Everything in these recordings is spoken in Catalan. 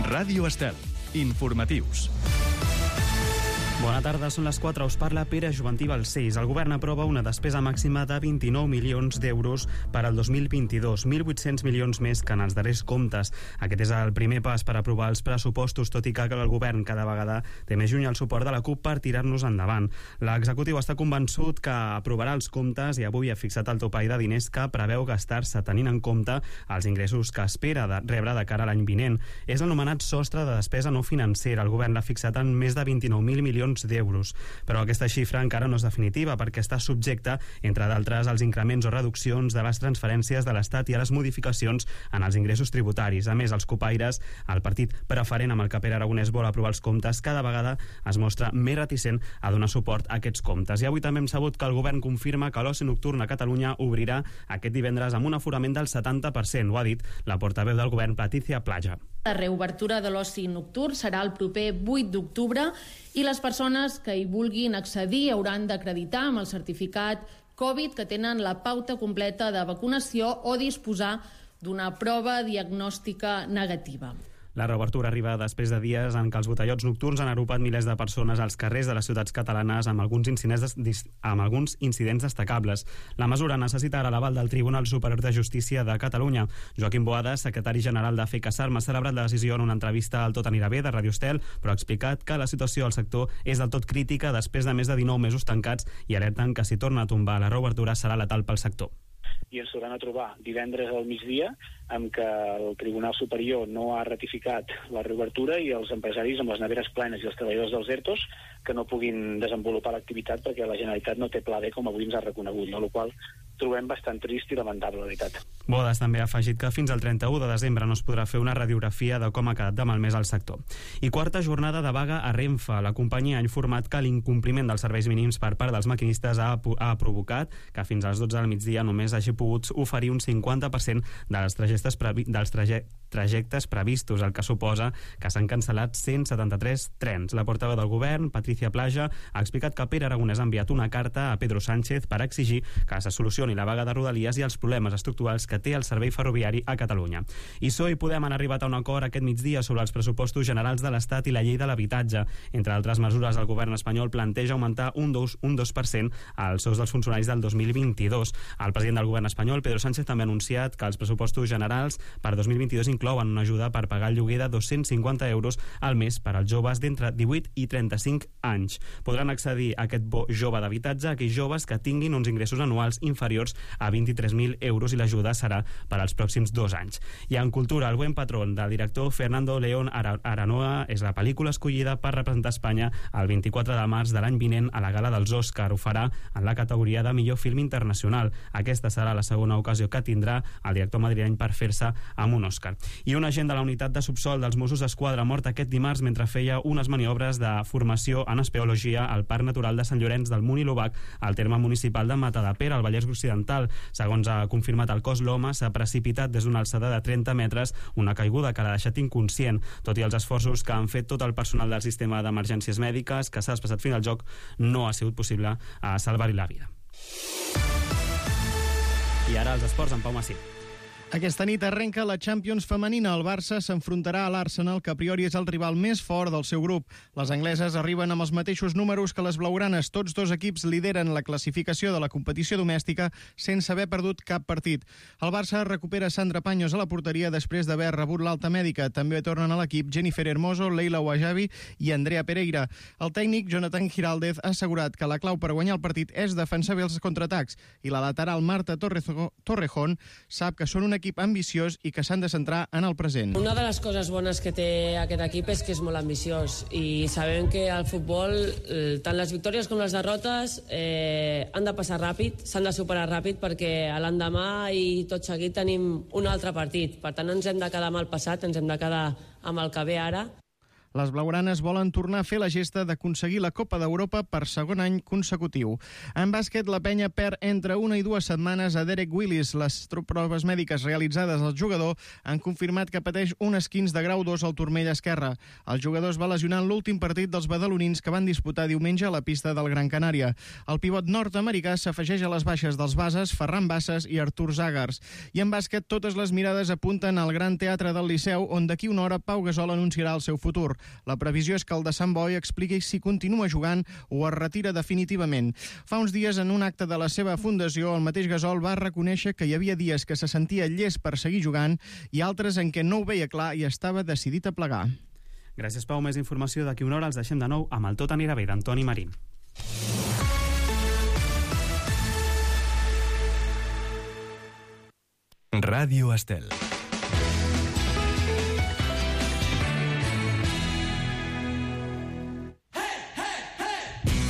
Ràdio Estel. Informatius. Bona tarda, són les 4, us parla Pere Joventí Balcells. El govern aprova una despesa màxima de 29 milions d'euros per al 2022, 1.800 milions més que en els darrers comptes. Aquest és el primer pas per aprovar els pressupostos, tot i que el govern cada vegada té més lluny el suport de la CUP per tirar-nos endavant. L'executiu està convençut que aprovarà els comptes i avui ha fixat el topall de diners que preveu gastar-se tenint en compte els ingressos que espera de rebre de cara a l'any vinent. És l'anomenat sostre de despesa no financera. El govern l'ha fixat en més de 29.000 milions d'euros. Però aquesta xifra encara no és definitiva perquè està subjecta, entre d'altres, als increments o reduccions de les transferències de l'Estat i a les modificacions en els ingressos tributaris. A més, els copaires, el partit preferent amb el que Pere Aragonès vol aprovar els comptes, cada vegada es mostra més reticent a donar suport a aquests comptes. I avui també hem sabut que el govern confirma que l'oci nocturn a Catalunya obrirà aquest divendres amb un aforament del 70%. Ho ha dit la portaveu del govern, Patricia Plaja. La reobertura de l'oci nocturn serà el proper 8 d'octubre i les persones que hi vulguin accedir hauran d'acreditar amb el certificat Covid que tenen la pauta completa de vacunació o disposar d'una prova diagnòstica negativa. La reobertura arriba després de dies en què els botellots nocturns han agrupat milers de persones als carrers de les ciutats catalanes amb alguns incidents destacables. La mesura necessita ara l'aval del Tribunal Superior de Justícia de Catalunya. Joaquim Boada, secretari general de FECASARM, ha celebrat la decisió en una entrevista al Tot anirà bé de Ràdio Estel, però ha explicat que la situació al sector és del tot crítica després de més de 19 mesos tancats i alerten que si torna a tombar la reobertura serà letal pel sector. I ens tornaran a trobar divendres al migdia amb que el Tribunal Superior no ha ratificat la reobertura i els empresaris amb les neveres plenes i els treballadors dels ERTOs que no puguin desenvolupar l'activitat perquè la Generalitat no té pla B com avui ens ha reconegut, no? El qual trobem bastant trist i lamentable, la veritat. Bodas també ha afegit que fins al 31 de desembre no es podrà fer una radiografia de com ha quedat de malmès el sector. I quarta jornada de vaga a Renfe. La companyia ha informat que l'incompliment dels serveis mínims per part dels maquinistes ha provocat que fins a les 12 del migdia només hagi pogut oferir un 50% dels trajectes previstos, el que suposa que s'han cancel·lat 173 trens. La portaveu del govern, Patricia Plaja, ha explicat que Pere Aragonès ha enviat una carta a Pedro Sánchez per exigir que se solucioni la vaga de Rodalies i els problemes estructurals que té el servei ferroviari a Catalunya. I PSOE i Podem han arribat a un acord aquest migdia sobre els pressupostos generals de l'Estat i la llei de l'habitatge. Entre altres mesures, el govern espanyol planteja augmentar un 2% als sous dels funcionaris del 2022. El president del govern espanyol, Pedro Sánchez, també ha anunciat que els pressupostos generals per 2022 inclouen una ajuda per pagar el lloguer de 250 euros al mes per als joves d'entre 18 i 35 anys. Podran accedir a aquest bo jove d'habitatge aquells joves que tinguin uns ingressos anuals inferiors a 23.000 euros i l'ajuda serà per als pròxims 2 anys. I en cultura, El buen patrón del director Fernando León Aranoa és la pel·lícula escollida per representar Espanya el 24 de març de l'any vinent a la gala dels Òscar. Ho farà en la categoria de millor film internacional. Aquesta serà la segona ocasió que tindrà el director madrileny per fer-se amb un Òscar. I un agent de la unitat de subsol dels Mossos d'Esquadra mort aquest dimarts mentre feia unes maniobres de formació en espeologia al Parc Natural de Sant Llorenç del Munt i l'Obac, al terme municipal de Matadepera, al Vallès Occidental. Segons ha confirmat el cos, l'home s'ha precipitat des d'una alçada de 30 metres, una caiguda que l'ha deixat inconscient. Tot i els esforços que han fet tot el personal del sistema d'emergències mèdiques que s'ha desplaçat fins al lloc, no ha sigut possible salvar-hi la vida. I ara els esports amb Pau Massí. Aquesta nit arrenca la Champions femenina. El Barça s'enfrontarà a l'Arsenal, que a priori és el rival més fort del seu grup. Les angleses arriben amb els mateixos números que les blaugranes. Tots dos equips lideren la classificació de la competició domèstica sense haver perdut cap partit. El Barça recupera Sandra Paños a la porteria després d'haver rebut l'alta mèdica. També tornen a l'equip Jennifer Hermoso, Leila Ouajabi i Andrea Pereira. El tècnic Jonathan Giraldez ha assegurat que la clau per guanyar el partit és defensar bé els contraatacs i la lateral Marta Torrejón sap que són un equip ambiciós i que s'han de centrar en el present. Una de les coses bones que té aquest equip és que és molt ambiciós i sabem que al futbol tant les victòries com les derrotes han de passar ràpid, s'han de superar ràpid perquè a l'endemà i tot seguit tenim un altre partit. Per tant, ens hem de quedar amb el passat, ens hem de quedar amb el que ve ara. Les blaugranes volen tornar a fer la gesta d'aconseguir la Copa d'Europa per segon any consecutiu. En bàsquet, la penya perd entre 1 i 2 setmanes a Derek Willis. Les proves mèdiques realitzades al jugador han confirmat que pateix un esquinç de grau 2 al turmell esquerre. El jugador es va lesionar en l'últim partit dels badalonins que van disputar diumenge a la pista del Gran Canària. El pivot nord-americà s'afegeix a les baixes dels bases Ferran Bassas i Artur Zagars. I en bàsquet, totes les mirades apunten al Gran Teatre del Liceu, on d'aquí una hora Pau Gasol anunciarà el seu futur. La previsió és que el de Sant Boi expliqui si continua jugant o es retira definitivament. Fa uns dies, en un acte de la seva fundació, el mateix Gasol va reconèixer que hi havia dies que se sentia llest per seguir jugant i altres en què no ho veia clar i estava decidit a plegar. Gràcies, Pau. Més informació d'aquí una hora. Els deixem de nou amb el Tot anirà bé d'Antoni Marín. Ràdio Estel.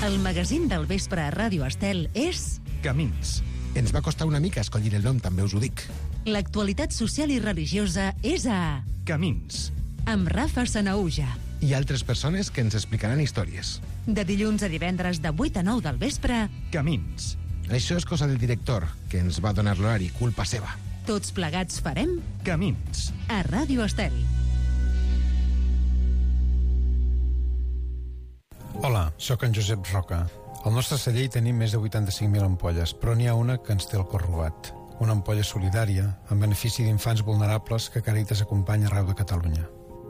El magazín del vespre a Ràdio Estel és... Camins. Ens va costar una mica escollir el nom, també us ho dic. L'actualitat social i religiosa és a... Camins. Amb Rafa Sanaúja. I altres persones que ens explicaran històries. De dilluns a divendres de 8 a 9 del vespre... Camins. Això és cosa del director, que ens va donar l'horari, culpa seva. Tots plegats farem... Camins. A Ràdio Estel. Hola, sóc en Josep Roca. Al nostre celler hi tenim més de 85.000 ampolles, però n'hi ha una que ens té el cor robat. Una ampolla solidària, en benefici d'infants vulnerables que Càritas acompanya arreu de Catalunya.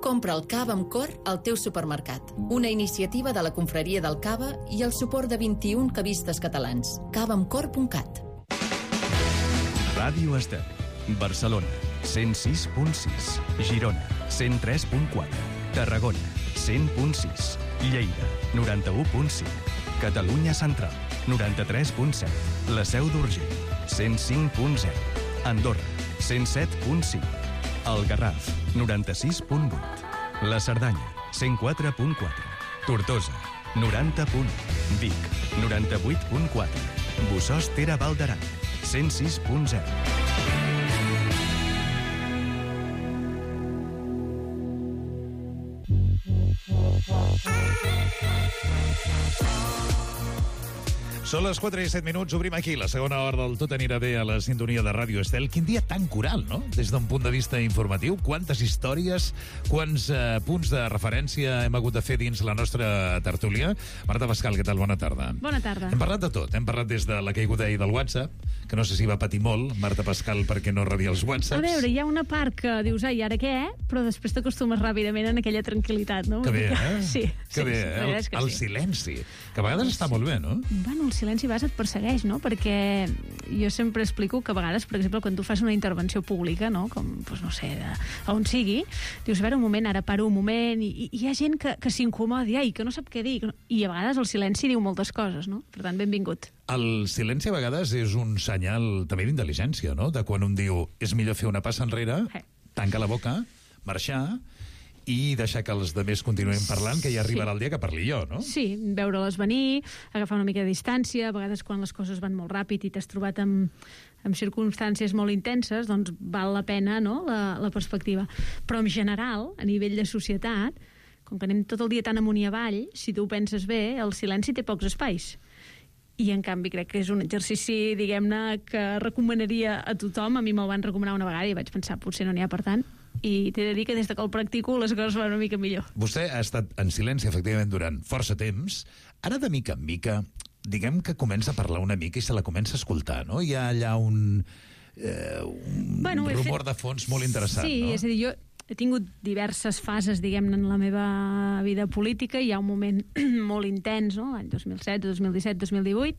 Compra el cava amb cor al teu supermercat. Una iniciativa de la Confraria del Cava i el suport de 21 cavistes catalans. cavaamcor.cat. Ràdio Estel. Barcelona, 106.6. Girona, 103.4. Tarragona, 100.6. Lleida, 91.5. Catalunya Central, 93.7. La Seu d'Urgell, 105.0. Andorra, 107.5. El Garraf, 96.8. La Cerdanya, 104.4. Tortosa, 90.1. Vic, 98.4. Bossòst-Tere Val d'Aran, 106.0. Són les 4 i 7 minuts, obrim aquí la segona hora del Tot anirà bé a la sintonia de Ràdio Estel. Quin dia tan coral, no?, des d'un punt de vista informatiu. Quantes històries, quants punts de referència hem hagut de fer dins la nostra tertúlia. Marta Pascal, què tal? Bona tarda. Bona tarda. Hem parlat de tot. Hem parlat des de la caiguda ahir del WhatsApp, que no sé si va patir molt, Marta Pascal, perquè no rebia els WhatsApps. A veure, hi ha una part que dius, ai, ara què? Però després t'acostumes ràpidament en aquella tranquil·litat, no? Que bé, eh? Sí. Que bé, eh? El silenci. Que a vegades està molt bé, no? Bueno, el silenci a vegades et persegueix, no? Perquè jo sempre explico que a vegades, per exemple, quan tu fas una intervenció pública, no? Com, doncs no sé, on sigui, dius, a veure, un moment, ara paro un moment, i hi ha gent que s'incomodi, ai, que no sap què dir, i a vegades el silenci diu moltes coses, no? Per tant, benvingut. El silenci a vegades és un senyal també d'intel·ligència, no? De quan un diu, és millor fer una passa enrere, tancar la boca, marxar i deixar que els demés continuïn parlant, que ja arribarà el dia que parli jo, no? Sí, veure-les venir, agafar una mica de distància, a vegades quan les coses van molt ràpid i t'has trobat amb circumstàncies molt intenses, doncs val la pena, no?, la perspectiva. Però en general, a nivell de societat, com que anem tot el dia tan amunt i avall, si tu ho penses bé, el silenci té pocs espais. I, en canvi, crec que és un exercici, diguem-ne, que recomanaria a tothom. A mi me'l van recomanar una vegada i vaig pensar, potser no n'hi ha per tant. I t'he de dir que des que el practico les coses van una mica millor. Vostè ha estat en silenci, efectivament, durant força temps. Ara, de mica en mica, diguem que comença a parlar una mica i se la comença a escoltar, no? Hi ha allà un rumor de fons molt interessant, sí, no? Sí, és a dir, jo he tingut diverses fases, diguem-ne, en la meva vida política. Hi ha un moment molt intens, no?, l'any 2007, 2017, 2018,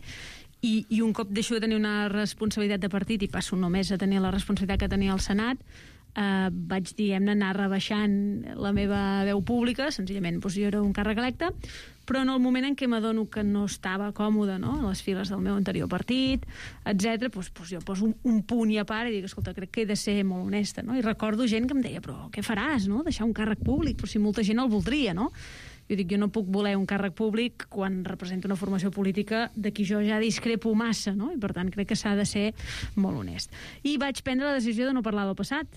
i un cop deixo de tenir una responsabilitat de partit i passo només a tenir la responsabilitat que tenia al Senat, vaig, diguem-ne, anar rebaixant la meva veu pública. Senzillament, doncs, jo era un càrrec electe, però en el moment en què m'adono que no estava còmode, no?, a les files del meu anterior partit, etc., doncs jo poso un punt i a part i dic, escolta, crec que he de ser molt honesta, no? I recordo gent que em deia, però què faràs, no?, deixar un càrrec públic, però si molta gent el voldria, no? Jo dic, jo no puc voler un càrrec públic quan represento una formació política de qui jo ja discrepo massa, no? I per tant crec que s'ha de ser molt honest. I vaig prendre la decisió de no parlar del passat.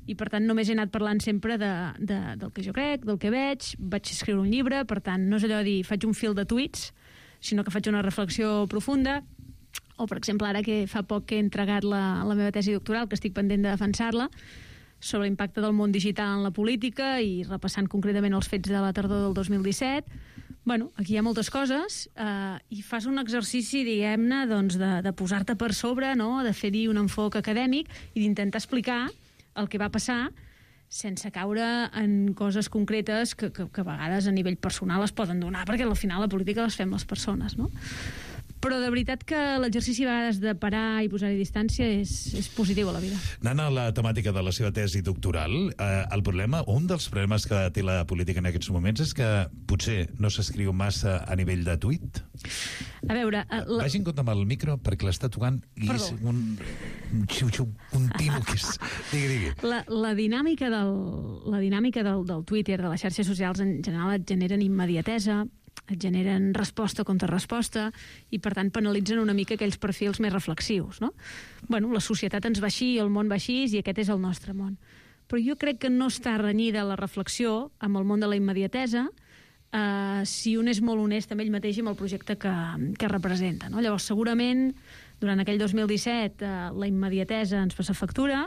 i per tant només he anat parlant sempre del que jo crec, del que vaig escriure un llibre, per tant no és allò de dir faig un fil de tuits, sinó que faig una reflexió profunda, o per exemple ara que fa poc que he entregat la meva tesi doctoral, que estic pendent de defensar-la, sobre l'impacte del món digital en la política i repassant concretament els fets de la tardor del 2017. Bueno, aquí hi ha moltes coses i fas un exercici, diguem-ne, doncs, de posar-te per sobre, no? De fer-hi un enfoc acadèmic i d'intentar explicar el que va passar sense caure en coses concretes que a vegades a nivell personal es poden donar, perquè al final la política les fem les persones, no? Però de veritat que l'exercici a vegades de parar i posar-hi distància és positiu a la vida. Anant a la temàtica de la seva tesi doctoral, un dels problemes que té la política en aquests moments és que potser no s'escriu massa a nivell de tuit. A veure... Vagi en compte amb el micro perquè l'està tocant i és un xiu-xiu continu que és... Digui. La dinàmica del Twitter, de les xarxes socials en general et generen immediatesa, et generen resposta contra resposta i per tant penalitzen una mica aquells perfils més reflexius, no? Bueno, la societat ens va així, el món va així i aquest és el nostre món. Però jo crec que no està renyida la reflexió amb el món de la immediatesa si un és molt honest amb ell mateix i amb el projecte que representa, no? Llavors, segurament, durant aquell 2017 la immediatesa ens passa factura.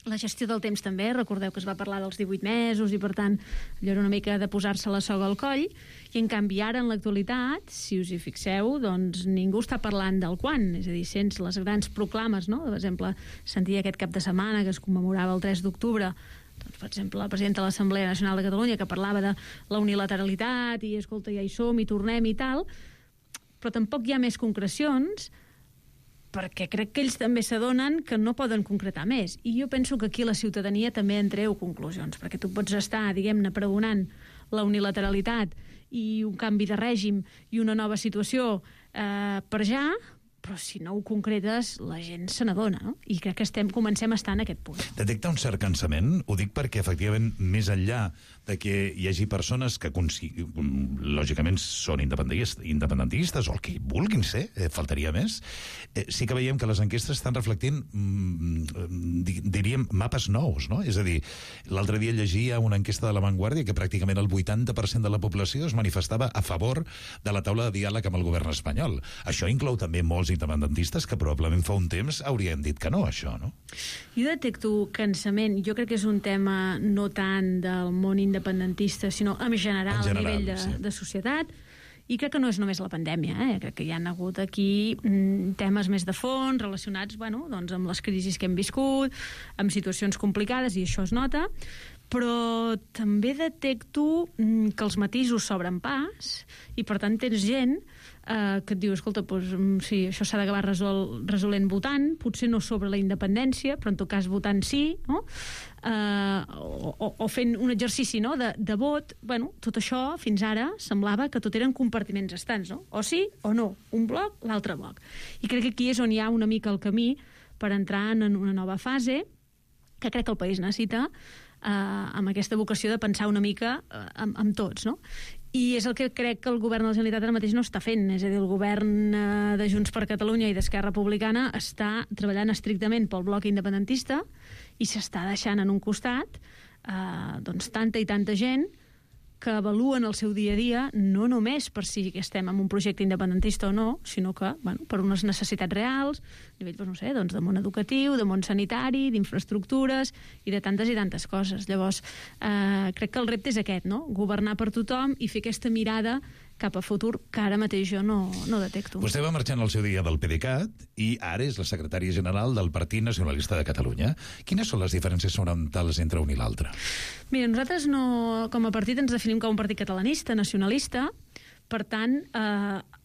La gestió del temps també, recordeu que es va parlar dels 18 mesos i per tant allò era una mica de posar-se la soga al coll i en canvi ara en l'actualitat, si us hi fixeu, doncs ningú està parlant del quan, és a dir, sense les grans proclames, no? Per exemple, sentia aquest cap de setmana que es commemorava el 3 d'octubre, doncs, per exemple, la presidenta de l'Assemblea Nacional de Catalunya que parlava de la unilateralitat i escolta, ja hi som i tornem i tal, però tampoc hi ha més concrecions perquè crec que ells també s'adonen que no poden concretar més. I jo penso que aquí la ciutadania també en treu conclusions, perquè tu pots estar, diguem-ne, pregonant la unilateralitat i un canvi de règim i una nova situació per ja, però si no ho concretes, la gent se n'adona, no? I crec que comencem a estar en aquest punt. Detecta un cert cansament? Ho dic perquè, efectivament, més enllà de que hi hagi persones que, lògicament, són independentistes o el que vulguin ser, faltaria més, sí que veiem que les enquestes estan reflectint, diríem, mapes nous, no? És a dir, l'altre dia llegia una enquesta de La Vanguardia que pràcticament el 80% de la població es manifestava a favor de la taula de diàleg amb el govern espanyol. Això inclou també molts independentistes que probablement fa un temps haurien dit que no, això, no? Jo detecto cansament. Jo crec que és un tema no tant del món independentista, sinó en general a nivell de societat. I crec que no és només la pandèmia, crec que hi ha hagut aquí temes més de fons relacionats, bueno, doncs amb les crisis que hem viscut, amb situacions complicades, i això es nota, però també detecto que els matisos s'obren pas i per tant tens gent que et diu, escolta, doncs, sí, això s'ha d'acabar resolent votant, potser no sobre la independència, però en tot cas votant sí, no? O fent un exercici, no? de vot. Bueno, tot això fins ara semblava que tot eren compartiments estants, no? O sí o no, un bloc, l'altre bloc. I crec que aquí és on hi ha una mica el camí per entrar en una nova fase que crec que el país necessita, amb aquesta vocació de pensar una mica amb tots, no? I és el que crec que el govern de la Generalitat ara mateix no està fent, és a dir, el govern de Junts per Catalunya i d'Esquerra Republicana està treballant estrictament pel bloc independentista i s'està deixant en un costat doncs tanta i tanta gent que avaluen el seu dia a dia no només per si estem en un projecte independentista o no, sinó que, bueno, per unes necessitats reals, a nivell, doncs, no sé, doncs, de món educatiu, de món sanitari, d'infraestructures i de tantes i tantes coses. Llavors, crec que el repte és aquest, no? Governar per tothom i fer aquesta mirada cap a futur que ara mateix jo no detecto. Vostè va marxant al seu dia del PDeCAT i ara és la secretària general del Partit Nacionalista de Catalunya. Quines són les diferències fonamentals entre un i l'altre? Mira, nosaltres com a partit ens definim com un partit catalanista, nacionalista, per tant,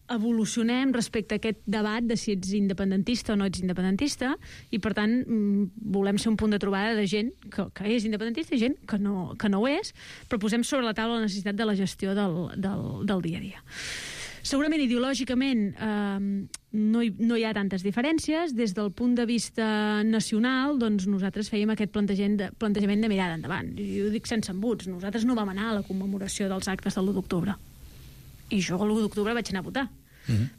evolucionem respecte a aquest debat de si ets independentista o no ets independentista i, per tant, volem ser un punt de trobada de gent que és independentista i gent que no ho és, però posem sobre la taula la necessitat de la gestió del dia a dia. Segurament, ideològicament, no hi ha tantes diferències. Des del punt de vista nacional, doncs nosaltres fèiem aquest plantejament de mirada endavant. Jo ho dic sense embuts. Nosaltres no vam anar a la commemoració dels actes de l'1 d'octubre. I jo l'1 d'octubre vaig anar a votar.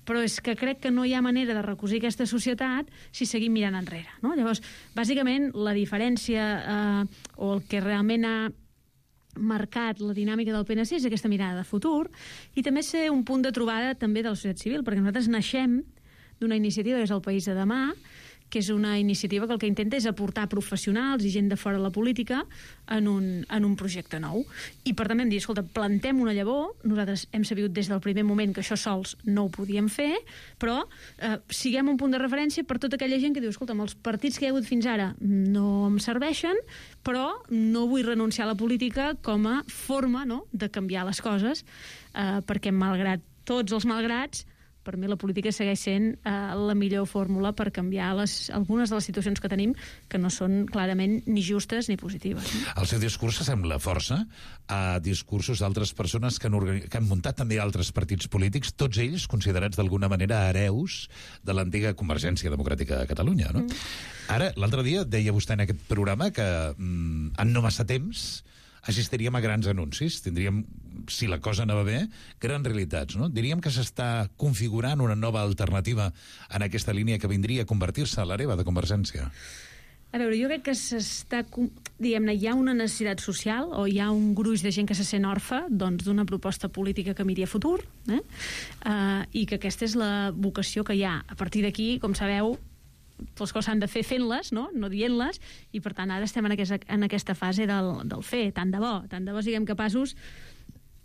però és que crec que no hi ha manera de recosir aquesta societat si seguim mirant enrere, no? Llavors, bàsicament, la diferència o el que realment ha marcat la dinàmica del PNC és aquesta mirada de futur i també ser un punt de trobada també de la societat civil, perquè nosaltres naixem d'una iniciativa que és el País de Demà, que és una iniciativa que el que intenta és aportar professionals i gent de fora de la política en un projecte nou. I per tant vam dir, escolta, plantem una llavor, nosaltres hem sabut des del primer moment que això sols no ho podíem fer, però siguem un punt de referència per tota aquella gent que diu, escolta, els partits que hi ha hagut fins ara no em serveixen, però no vull renunciar a la política com a forma, no?, de canviar les coses, perquè malgrat tots els malgrats, per mi la política segueix sent la millor fórmula per canviar algunes de les situacions que tenim que no són clarament ni justes ni positives. El seu discurs sembla força a discursos d'altres persones que han muntat també altres partits polítics, tots ells considerats d'alguna manera hereus de l'antiga Convergència Democràtica de Catalunya, no? Ara, l'altre dia deia vostè en aquest programa que en no massa temps assistiríem a grans anuncis, tindríem, si la cosa anava bé, grans realitats, no? Diríem que s'està configurant una nova alternativa en aquesta línia que vindria a convertir-se a l'hereva de Convergència. A veure, jo crec que s'està, diguem-ne, hi ha una necessitat social o hi ha un gruix de gent que se sent orfe d'una proposta política que miri a futur, i que aquesta és la vocació que hi ha. A partir d'aquí, com sabeu, les coses s'han de fer fent-les, no dient-les, i per tant ara estem en aquesta fase del fer, tant de bo siguem capaços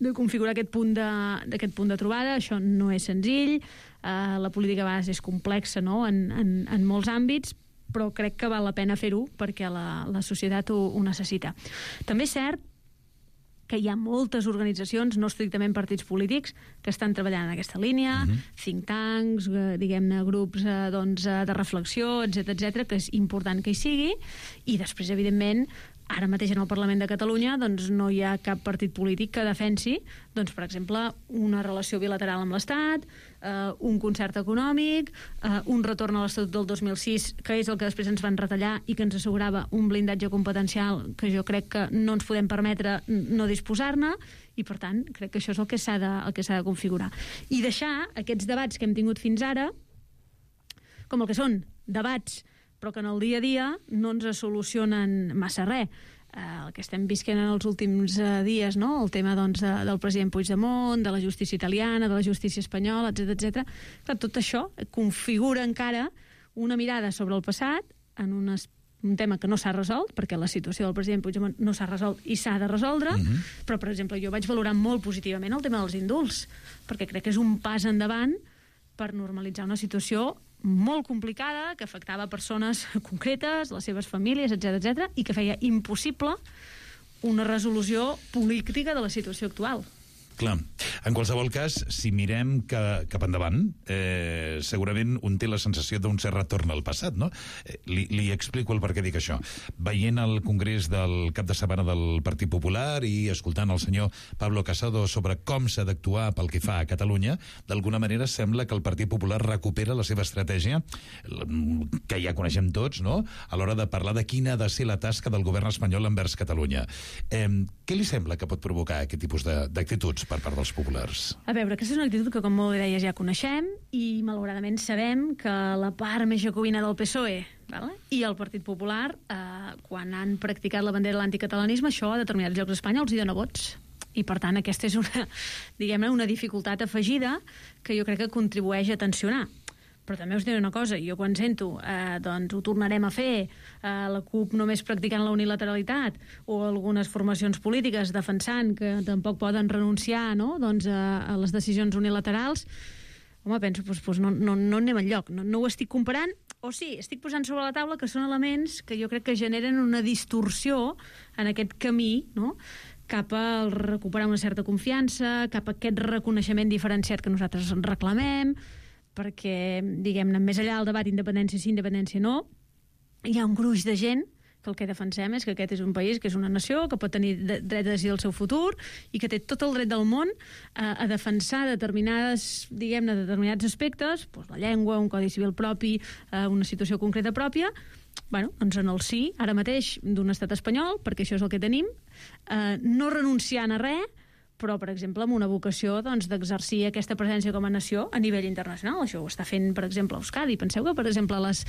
de configurar aquest punt de trobada. Això no és senzill, la política a vegades és complexa, no?, en molts àmbits, però crec que val la pena fer-ho perquè la societat ho necessita. També és cert que hi ha moltes organitzacions, no estrictament partits polítics, que estan treballant en aquesta línia, think tanks, diguem-ne, grups de reflexió, etc, que és important que hi sigui, i després, evidentment, ara mateix en el Parlament de Catalunya no hi ha cap partit polític que defensi, per exemple, una relació bilateral amb l'Estat, un concert econòmic, un retorn a l'Estatut del 2006, que és el que després ens van retallar i que ens assegurava un blindatge competencial que jo crec que no ens podem permetre no disposar-ne, i per tant crec que això és el que s'ha de configurar. I deixar aquests debats que hem tingut fins ara com el que són, debats, però que en el dia a dia no ens solucionen massa res. El que estem visquent en els últims dies, no?, el tema del president Puigdemont, de la justícia italiana, de la justícia espanyola, etc. Clar, tot això configura encara una mirada sobre el passat en un tema que no s'ha resolt, perquè la situació del president Puigdemont no s'ha resolt i s'ha de resoldre, però, per exemple, jo vaig valorar molt positivament el tema dels indults, perquè crec que és un pas endavant per normalitzar una situació molt complicada, que afectava persones concretes, les seves famílies, etc, i que feia impossible una resolució política de la situació actual. Clar, en qualsevol cas, si mirem cap endavant, segurament un té la sensació d'un cert retorn al passat, no? Li explico el per què dic això. Veient el congrés del cap de setmana del Partit Popular i escoltant el senyor Pablo Casado sobre com s'ha d'actuar pel que fa a Catalunya, d'alguna manera sembla que el Partit Popular recupera la seva estratègia, que ja coneixem tots, no?, a l'hora de parlar de quina ha de ser la tasca del govern espanyol envers Catalunya. Què li sembla que pot provocar aquest tipus d'actituds per part dels populars? A veure, aquesta és una actitud que, com molt bé deies, ja coneixem i, malauradament, sabem que la part més jacobina del PSOE i el Partit Popular, quan han practicat la bandera de l'anticatalanisme, això a determinats llocs d'Espanya els hi dona vots. I, per tant, aquesta és una dificultat afegida que jo crec que contribueix a tensionar. Però també us diré una cosa, jo quan sento ho tornarem a fer, la CUP només practicant la unilateralitat o algunes formacions polítiques defensant que tampoc poden renunciar, no?, a les decisions unilaterals, home, penso, no anem enlloc, no ho estic comparant, o sí, estic posant sobre la taula que són elements que jo crec que generen una distorsió en aquest camí, no?, cap a recuperar una certa confiança, cap a aquest reconeixement diferenciat que nosaltres reclamem, perquè, diguem-ne, més enllà del debat independència sí, independència no, hi ha un gruix de gent que el que defensem és que aquest és un país, que és una nació, que pot tenir dret a decidir el seu futur i que té tot el dret del món a defensar determinats aspectes, la llengua, un codi civil propi, una situació concreta pròpia, en el sí, ara mateix, d'un estat espanyol, perquè això és el que tenim, no renunciant a res, però, per exemple, amb una vocació d'exercir aquesta presència com a nació a nivell internacional. Això ho està fent, per exemple, Euskadi. Penseu que, per exemple, les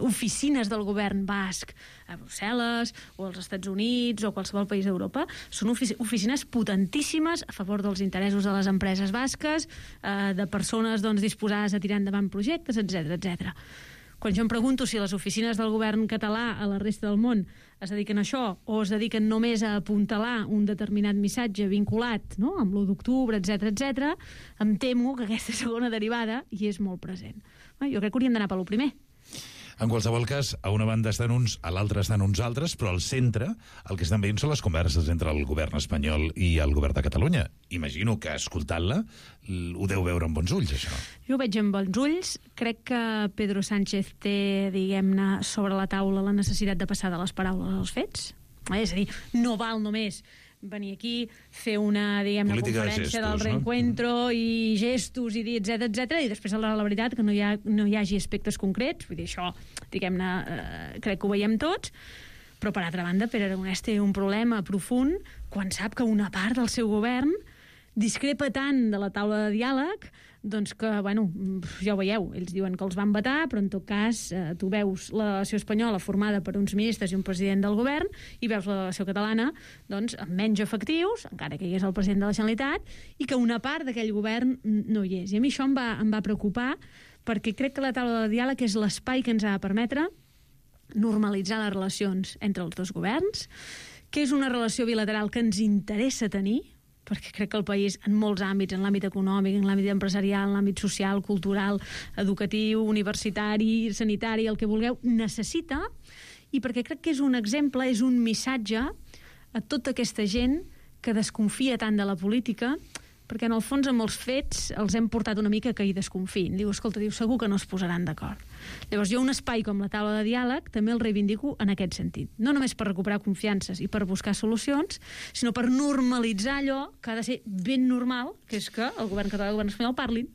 oficines del govern basc a Brussel·les o als Estats Units o qualsevol país d'Europa són oficines potentíssimes a favor dels interessos de les empreses basques, de persones disposades a tirar endavant projectes, etc etc. Quan jo em pregunto si les oficines del govern català a la resta del món es dediquen a això o es dediquen només a apuntalar un determinat missatge vinculat, no?, amb l'1 d'octubre, etc, em temo que aquesta segona derivada hi és molt present. Jo crec que hauríem d'anar per lo primer. En qualsevol cas, a una banda estan uns, a l'altra estan uns altres, però al centre el que estan veient són les converses entre el govern espanyol i el govern de Catalunya. Imagino que, escoltant-la, ho deu veure amb bons ulls, això. Jo ho veig amb bons ulls. Crec que Pedro Sánchez té, diguem-ne, sobre la taula la necessitat de passar de les paraules als fets. És a dir, no val només venir aquí, fer una, diguem-ne, conferència del reencuentro, no? I gestos, i dir, etc, i després, la veritat, que no hi hagi aspectes concrets. Vull dir, això, diguem-ne, crec que ho veiem tots, però, per altra banda, Pere Aragonès té un problema profund quan sap que una part del seu govern discrepa tant de la taula de diàleg que, bueno, ja ho veieu, ells diuen que els van vetar, però en tot cas tu veus la delegació espanyola formada per uns ministres i un president del govern i veus la delegació catalana amb menys efectius, encara que hi és el president de la Generalitat, i que una part d'aquell govern no hi és. I a mi això em va preocupar, perquè crec que la taula de diàleg és l'espai que ens ha de permetre normalitzar les relacions entre els dos governs, que és una relació bilateral que ens interessa tenir, perquè crec que el país, en molts àmbits, en l'àmbit econòmic, en l'àmbit empresarial, en l'àmbit social, cultural, educatiu, universitari, sanitari, el que vulgueu, necessita, i perquè crec que és un exemple, és un missatge a tota aquesta gent que desconfia tant de la política, perquè en el fons amb els fets els hem portat una mica que hi desconfien. Escolta, segur que no es posaran d'acord. Llavors jo un espai com la taula de diàleg també el reivindico en aquest sentit. No només per recuperar confiances i per buscar solucions, sinó per normalitzar allò que ha de ser ben normal, que és que el govern català i el govern espanyol parlin.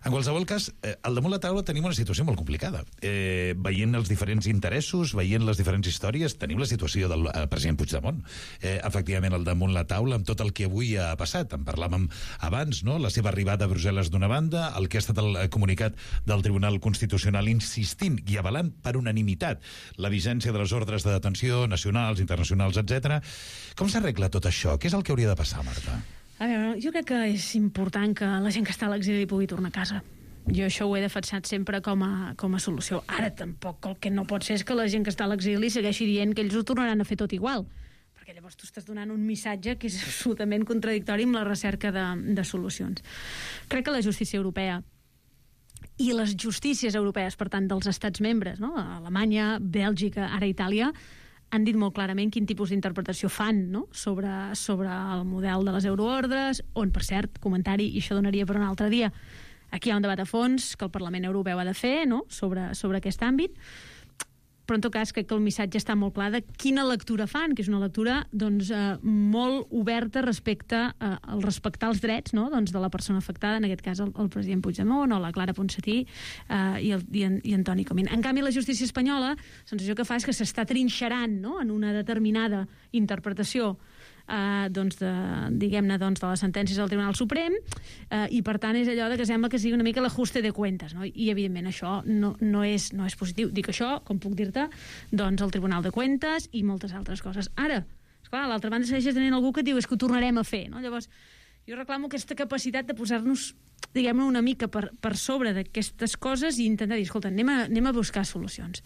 En qualsevol cas, al damunt la taula tenim una situació molt complicada. Veient els diferents interessos, veient les diferents històries, tenim la situació del president Puigdemont. Efectivament, al damunt la taula, amb tot el que avui ha passat. En parlàvem abans, no?, la seva arribada a Brussel·les d'una banda, el que ha estat el comunicat del Tribunal Constitucional insistint i avalant per unanimitat la vigència de les ordres de detenció nacionals, internacionals, etc. Com s'arregla tot això? Què és el que hauria de passar, Marta? A veure, jo crec que és important que la gent que està a l'exili pugui tornar a casa. Jo això ho he defensat sempre com a solució. Ara tampoc el que no pot ser és que la gent que està a l'exili segueixi dient que ells ho tornaran a fer tot igual, perquè llavors tu estàs donant un missatge que és absolutament contradictori amb la recerca de solucions. Crec que la justícia europea i les justícies europees, per tant, dels estats membres, no?, Alemanya, Bèlgica, ara Itàlia, han dit molt clarament quin tipus d'interpretació fan, no?, sobre el model de les euroordres, on, per cert, comentari, i això donaria per un altre dia, aquí hi ha un debat a fons que el Parlament Europeu ha de fer, no?, sobre aquest àmbit, però en tot cas crec que el missatge està molt clar de quina lectura fan, que és una lectura molt oberta respecte al respectar els drets, no?, de la persona afectada, en aquest cas el president Puigdemont o la Clara Ponsatí i Antoni Comín. En canvi, la justícia espanyola, la sensació que fa és que s'està trinxerant, no?, en una determinada interpretació diguem-ne, de les sentències del Tribunal Suprem, i per tant és allò que sembla que sigui una mica l'ajuste de cuentas, no? I evidentment això no és positiu. Dic això, com puc dir-te, el Tribunal de Cuentas i moltes altres coses. Ara, esclar, a l'altra banda segueix tenint algú que diu és que ho tornarem a fer, no? Llavors jo reclamo aquesta capacitat de posar-nos, diguem-ne, una mica per sobre d'aquestes coses i intentar dir, escolta, anem a buscar solucions.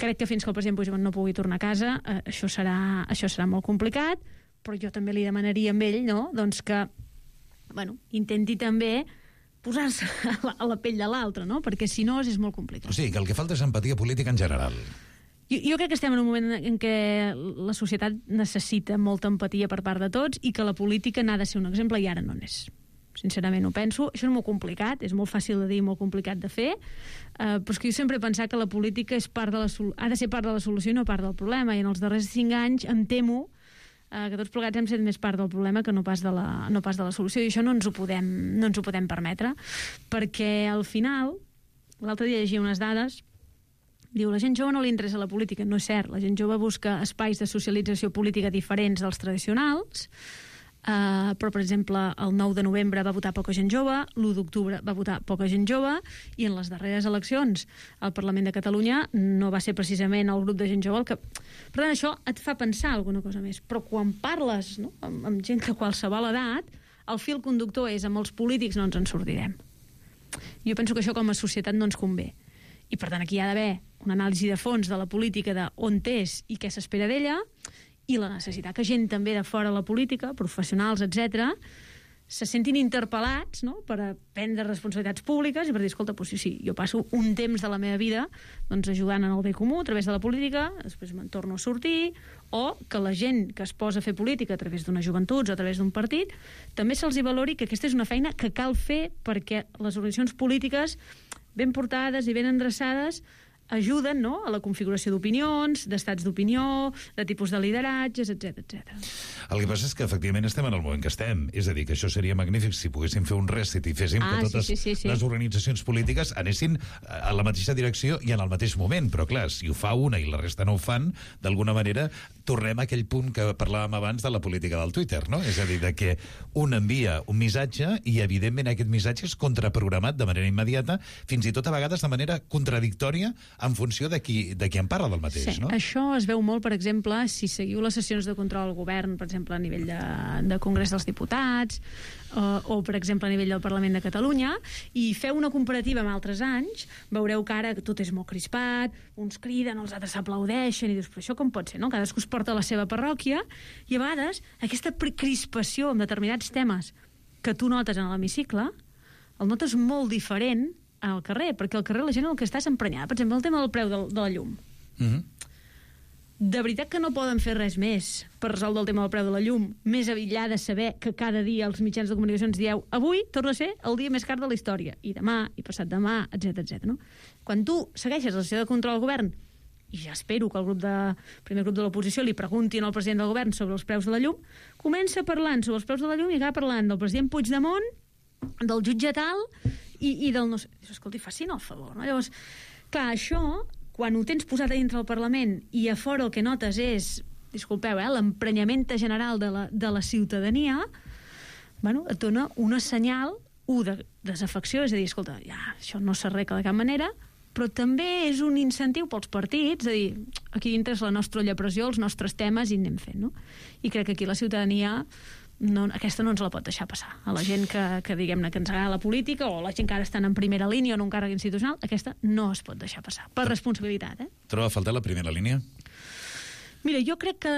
Crec que fins que el president Puigdemont no pugui tornar a casa això serà molt complicat, però jo també li demanaria a ell, no?, que intenti també posar-se a la pell de l'altre, no?, perquè si no és molt complicat. O sigui, que el que falta és empatia política en general. Jo crec que estem en un moment en què la societat necessita molta empatia per part de tots i que la política n'ha de ser un exemple i ara no n'és. Sincerament ho penso. Això és molt complicat, és molt fàcil de dir i molt complicat de fer, però és que jo sempre he pensat que la política ha de ser part de la solució i no part del problema, i en els darrers 5 anys em temo que tots plegats hem set més part del problema que no pas de la solució, i això no ens ho podem permetre, perquè al final, l'altre dia llegia unes dades, diu, la gent jove no li interessa la política. No és cert, la gent jove busca espais de socialització política diferents dels tradicionals, però, per exemple, el 9 de novembre va votar poca gent jove, l'1 d'octubre va votar poca gent jove, i en les darreres eleccions al Parlament de Catalunya no va ser precisament el grup de gent jove el que... Per tant, això et fa pensar alguna cosa més. Però quan parles, no?, amb gent de qualsevol edat, el fil conductor és amb els polítics no ens en sortirem. Jo penso que això com a societat no ens convé. I, per tant, aquí hi ha d'haver una anàlisi de fons de la política, d'on és i què s'espera d'ella, i la necessitat que gent també de fora de la política, professionals, etc., se sentin interpel·lats, no?, per prendre responsabilitats públiques i per dir, escolta, doncs sí, jo passo un temps de la meva vida doncs, ajudant en el bé comú a través de la política, després me'n torno a sortir, o que la gent que es posa a fer política a través d'unes joventuts o a través d'un partit també se'ls hi valori que aquesta és una feina que cal fer perquè les organitzacions polítiques ben portades i ben endreçades ajuden, no?, a la configuració d'opinions, d'estats d'opinió, de tipus de lideratges, etc. El que passa és que efectivament estem en el moment que estem. És a dir, que això seria magnífic si poguéssim fer un reset i féssim que totes les organitzacions polítiques anessin a la mateixa direcció i en el mateix moment. Però clar, si ho fa una i la resta no ho fan, d'alguna manera tornem a aquell punt que parlàvem abans de la política del Twitter, no? És a dir, de que un envia un missatge i evidentment aquest missatge és contraprogramat de manera immediata, fins i tot a vegades de manera contradictòria en funció de qui en parla del mateix, sí, no? Això es veu molt, per exemple, si seguiu les sessions de control al govern, per exemple, a nivell de Congrés dels Diputats, o, per exemple, a nivell del Parlament de Catalunya, i feu una comparativa amb altres anys, veureu que ara tot és molt crispat, uns criden, els altres s'aplaudeixen, i dius, però això com pot ser, no? Cadascú es porta a la seva parròquia, i a vegades aquesta crispació amb determinats temes que tu notes en l'hemicicle, el notes molt diferent al carrer, perquè al carrer la gent el que està és emprenyada. Per exemple, el tema del preu de la llum. De veritat que no poden fer res més per resoldre el tema del preu de la llum, més enllà de saber que cada dia els mitjans de comunicació ens dieu avui torna a ser el dia més car de la història, i demà, i passat demà, etc. No? Quan tu segueixes la sessió de control al govern, i ja espero que el primer grup de l'oposició li preguntin al president del govern sobre els preus de la llum, comença parlant sobre els preus de la llum i acaba parlant del president Puigdemont, del jutge tal i del no sé... Escolti, facin el favor, no? Llavors, clar, això, quan ho tens posat a dintre del Parlament i a fora el que notes és, disculpeu, l'emprenyament general de la ciutadania, bueno, et dona una senyal, de desafecció, és a dir, escolta, ja, això no s'arregla de cap manera, però també és un incentiu pels partits, és a dir, aquí dintre és la nostra llepressió, els nostres temes, i anem fent, no? I crec que aquí la ciutadania... aquesta no ens la pot deixar passar. A la gent que diguem-ne, que ens agrada la política, o la gent que ara estan en primera línia o en un càrrec institucional, aquesta no es pot deixar passar, per responsabilitat. Troba a faltar la primera línia? Mira, jo crec que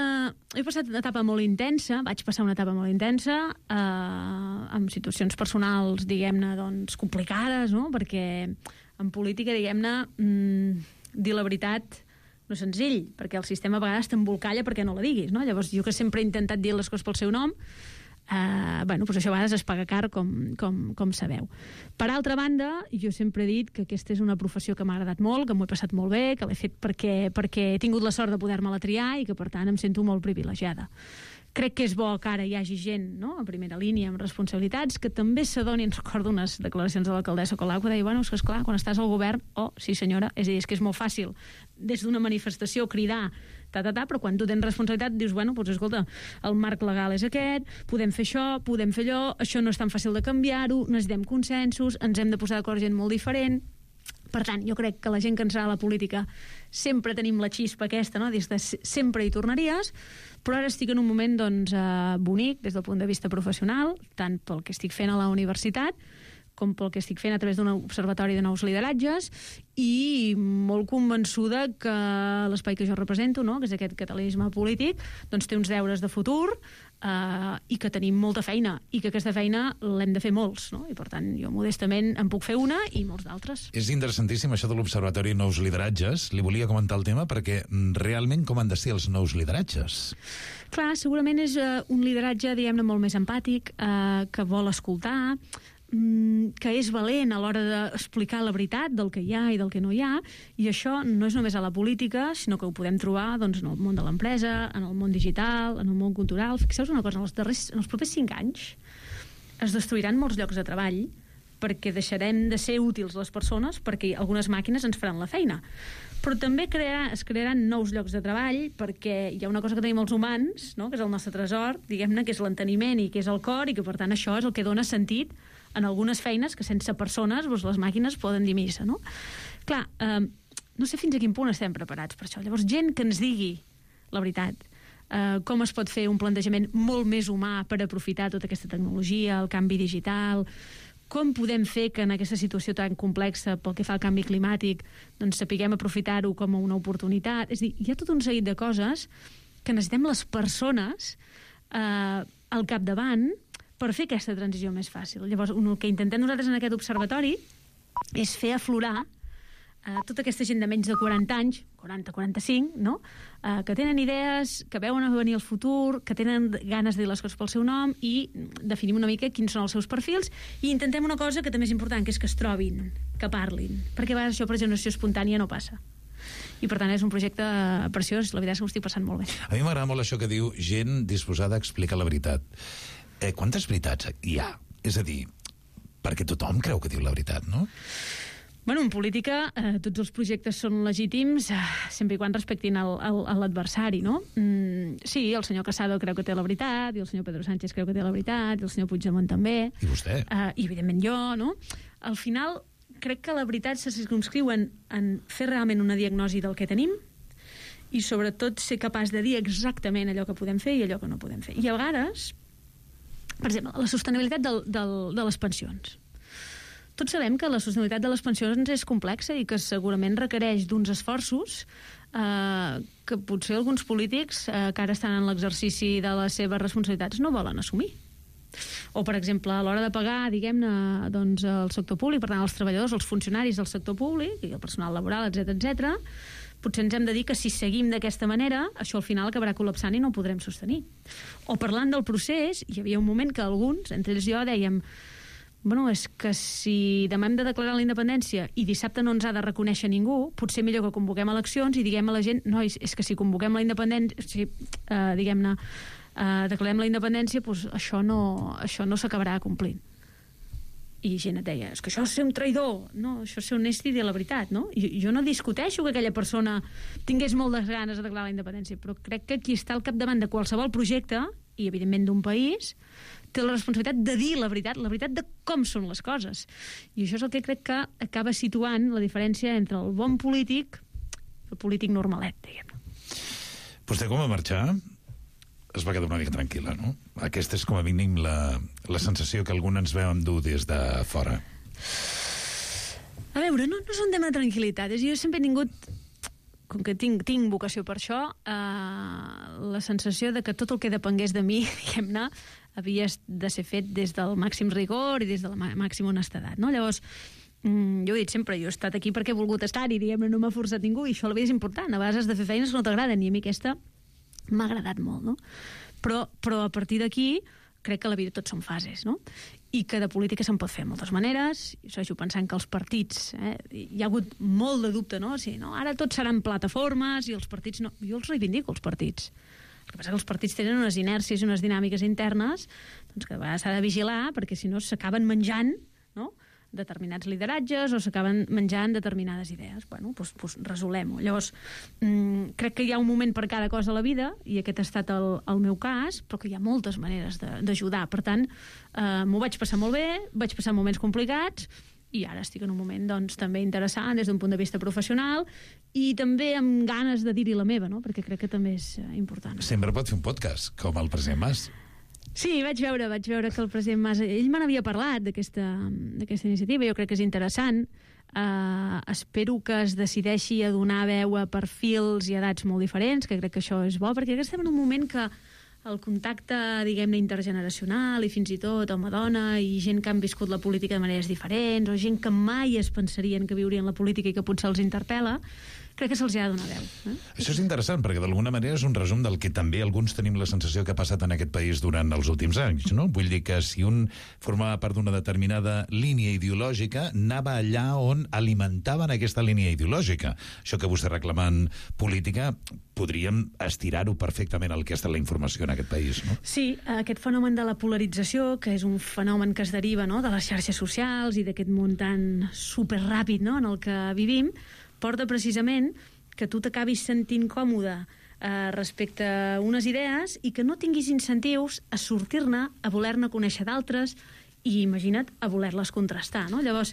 he passat una etapa molt intensa, vaig passar una etapa molt intensa, amb situacions personals, diguem-ne, doncs, complicades, no? Perquè en política, diguem-ne, dir la veritat no és senzill, perquè el sistema a vegades t'embolcalla perquè no la diguis, no? Llavors, jo que sempre he intentat dir les coses pel seu nom, bueno, doncs això a vegades es paga car, com sabeu. Per altra banda, jo sempre he dit que aquesta és una professió que m'ha agradat molt, que m'ho he passat molt bé, que l'he fet perquè he tingut la sort de poder-me-la triar i que, per tant, em sento molt privilegiada. Crec que és bo que ara hi hagi gent, no?, a primera línia, amb responsabilitats, que també s'adonin. Recordo unes declaracions de l'alcaldessa Colau que deia, bueno, és que esclar, quan estàs al govern, sí senyora, és a dir, és que és molt fàcil des d'una manifestació cridar, però quan tu tens responsabilitat dius, bueno, doncs escolta, el marc legal és aquest, podem fer allò, això no és tan fàcil de canviar-ho, necessitem consensos, ens hem de posar d'acord gent molt diferent. Per tant, jo crec que la gent que ens agrada la política sempre tenim la xispa aquesta, no?, des de sempre hi tornaries, però ara estic en un moment, doncs, bonic des del punt de vista professional, tant pel que estic fent a la universitat com pel que estic fent a través d'un observatori de nous lideratges, i molt convençuda que l'espai que jo represento, no?, que és aquest catalanisme polític, doncs té uns deures de futur, i que tenim molta feina, i que aquesta feina l'hem de fer molts, no? I per tant, jo modestament en puc fer una i molts d'altres. És interessantíssim això de l'Observatori Nous Lideratges. Li volia comentar el tema perquè realment com han de ser els nous lideratges? Clar, segurament és un lideratge, diguem-ne, molt més empàtic, que vol escoltar, que és valent a l'hora d'explicar la veritat del que hi ha i del que no hi ha, i això no és només a la política, sinó que ho podem trobar, doncs, en el món de l'empresa, en el món digital, en el món cultural. Fixeu-vos una cosa, en els propers 5 anys es destruiran molts llocs de treball perquè deixarem de ser útils les persones perquè algunes màquines ens faran la feina. Però també es crearan nous llocs de treball, perquè hi ha una cosa que tenim els humans, no?, que és el nostre tresor, diguem-ne, que és l'enteniment i que és el cor, i que per tant això és el que dona sentit en algunes feines que sense persones doncs, les màquines poden dir missa, no? Clar, no sé fins a quin punt estem preparats per això. Llavors, gent que ens digui la veritat, com es pot fer un plantejament molt més humà per aprofitar tota aquesta tecnologia, el canvi digital, com podem fer que en aquesta situació tan complexa pel que fa al canvi climàtic doncs sapiguem aprofitar-ho com a una oportunitat. És a dir, hi ha tot un seguit de coses que necessitem les persones al capdavant per fer aquesta transició més fàcil. Llavors, el que intentem nosaltres en aquest observatori és fer aflorar tota aquesta gent de menys de 40 anys, 40-45, no?, que tenen idees, que veuen a venir el futur, que tenen ganes de dir les coses pel seu nom, i definim una mica quins són els seus perfils i intentem una cosa que també és important, que és que es trobin, que parlin, perquè a vegades això per generació espontània no passa. I per tant és un projecte preciós, la veritat és que ho estic passant molt bé. A mi m'agrada molt això que diu gent disposada a explicar la veritat. Quantes veritats hi ha? És a dir, perquè tothom creu que diu la veritat, no? Bueno, en política tots els projectes són legítims sempre i quan respectin l'adversari, no? Sí, el senyor Casado creu que té la veritat, i el senyor Pedro Sánchez creu que té la veritat, i el senyor Puigdemont també. I vostè. I evidentment jo, no? Al final, crec que la veritat se circumscriu en fer realment una diagnosi del que tenim i sobretot ser capaç de dir exactament allò que podem fer i allò que no podem fer. I a vegades, per exemple, la sostenibilitat de les pensions. Tots sabem que la sostenibilitat de les pensions és complexa i que segurament requereix d'uns esforços que potser alguns polítics que ara estan en l'exercici de les seves responsabilitats no volen assumir. O, per exemple, a l'hora de pagar, diguem-ne, doncs, el sector públic, per tant, els treballadors, els funcionaris del sector públic i el personal laboral, etc., potser ens hem de dir que si seguim d'aquesta manera, això al final acabarà col·lapsant i no ho podrem sostenir. O parlant del procés, hi havia un moment que alguns, entre ells jo, dèiem bueno, és que si demà hem de declarar la independència i dissabte no ens ha de reconèixer ningú, potser millor que convoquem eleccions i diguem a la gent, nois, és que si convoquem la independència, diguem-ne, declarem la independència, doncs això no s'acabarà complint. I gent et deia, és que això és ser un traïdor, no? Això és ser honest i dir la veritat, no? Jo no discuteixo que aquella persona tingués moltes ganes de declarar la independència, però crec que qui està al capdavant de qualsevol projecte, i evidentment d'un país, té la responsabilitat de dir la veritat de com són les coses. I això és el que crec que acaba situant la diferència entre el bon polític i el polític normalet, diguem-ne. Vostè, com va marxar, es va quedar una mica tranquil·la, no? Aquesta és com a mínim la sensació que algun ens veu endur des de fora. A veure, no és un tema de tranquil·litat. Jo sempre he tingut, com que tinc vocació per això, la sensació de que tot el que depengués de mi, diguem-ne, havia de ser fet des del màxim rigor i des de la màxima honestedat, no? Llavors, jo he dit sempre, jo he estat aquí perquè he volgut estar-hi, diguem-ne, no m'ha forçat ningú, i això a la vida és important. A vegades has de fer feines que no t'agraden, i a mi aquesta m'ha agradat molt, no? Però a partir d'aquí crec que a la vida tot són fases, no? I que de política se'n pot fer de moltes maneres. Jo segueixo pensant que els partits, hi ha hagut molt de dubte, no? Sí, no? Ara tots seran plataformes i els partits no. Jo els reivindico, els partits. El que passa que els partits tenen unes inèrcies i unes dinàmiques internes doncs que a vegades s'ha de vigilar, perquè si no s'acaben menjant, no?, determinats lideratges o s'acaben menjant determinades idees. Bueno, doncs resolem-ho. Llavors, crec que hi ha un moment per cada cosa a la vida, i aquest ha estat el meu cas, però que hi ha moltes maneres d'ajudar. Per tant, m'ho vaig passar molt bé, vaig passar moments complicats, i ara estic en un moment doncs, també interessant des d'un punt de vista professional i també amb ganes de dir-hi la meva, no? Perquè crec que també és important. Sempre pot fer un podcast, com el president Mas. Sí, vaig veure que el president Mas, ell me n'havia parlat d'aquesta iniciativa, jo crec que és interessant. Espero que es decideixi a donar veu a perfils i edats molt diferents, que crec que això és bo, perquè estem en un moment que el contacte, diguem-ne, intergeneracional i fins i tot home-dona i gent que han viscut la política de maneres diferents o gent que mai es pensarien que viurien la política i que potser els interpel·la, crec que se'ls ha de donar veu. Això és interessant, perquè d'alguna manera és un resum del que també alguns tenim la sensació que ha passat en aquest país durant els últims anys, no? Vull dir que si un formava part d'una determinada línia ideològica, anava allà on alimentaven aquesta línia ideològica. Això que vostè reclama en política, podríem estirar-ho perfectament al que ha estat la informació en aquest país, no? Sí, aquest fenomen de la polarització, que és un fenomen que es deriva, no?, de les xarxes socials i d'aquest món tan superràpid, no?, en el que vivim, porta precisament que tu t'acabis sentint còmode respecte a unes idees i que no tinguis incentius a sortir-ne, a voler-ne conèixer d'altres i, imagina't, a voler-les contrastar, no? Llavors,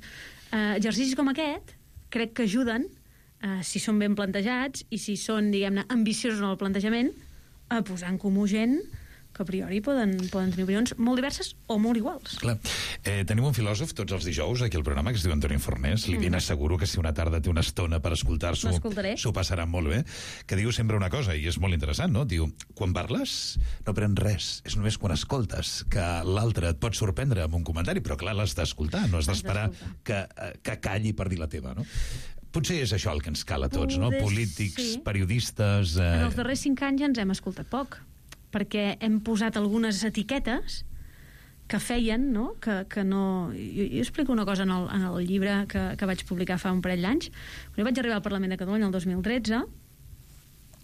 exercicis com aquest crec que ajuden, si són ben plantejats i si són, diguem-ne, ambiciosos en el plantejament, a posar en comú gent que a priori poden tenir opinions molt diverses o molt iguals. Clar. Tenim un filòsof tots els dijous aquí al programa que es diu Antoni Fornés. Li ben asseguro que si una tarda té una estona per escoltar-s'ho, s'ho passarà molt bé, que diu sempre una cosa, i és molt interessant, no? Diu, quan parles no prens res, és només quan escoltes, que l'altre et pot sorprendre amb un comentari, però clar, l'has d'escoltar, no has d'esperar que calli per dir la teva, no? Potser és això el que ens cal a tots, no? Polítics, periodistes... En els darrers 5 anys ja ens hem escoltat poc, perquè hem posat algunes etiquetes que feien, no? Que no... Jo explico una cosa en el llibre que vaig publicar fa un parell d'anys. Quan jo vaig arribar al Parlament de Catalunya el 2013,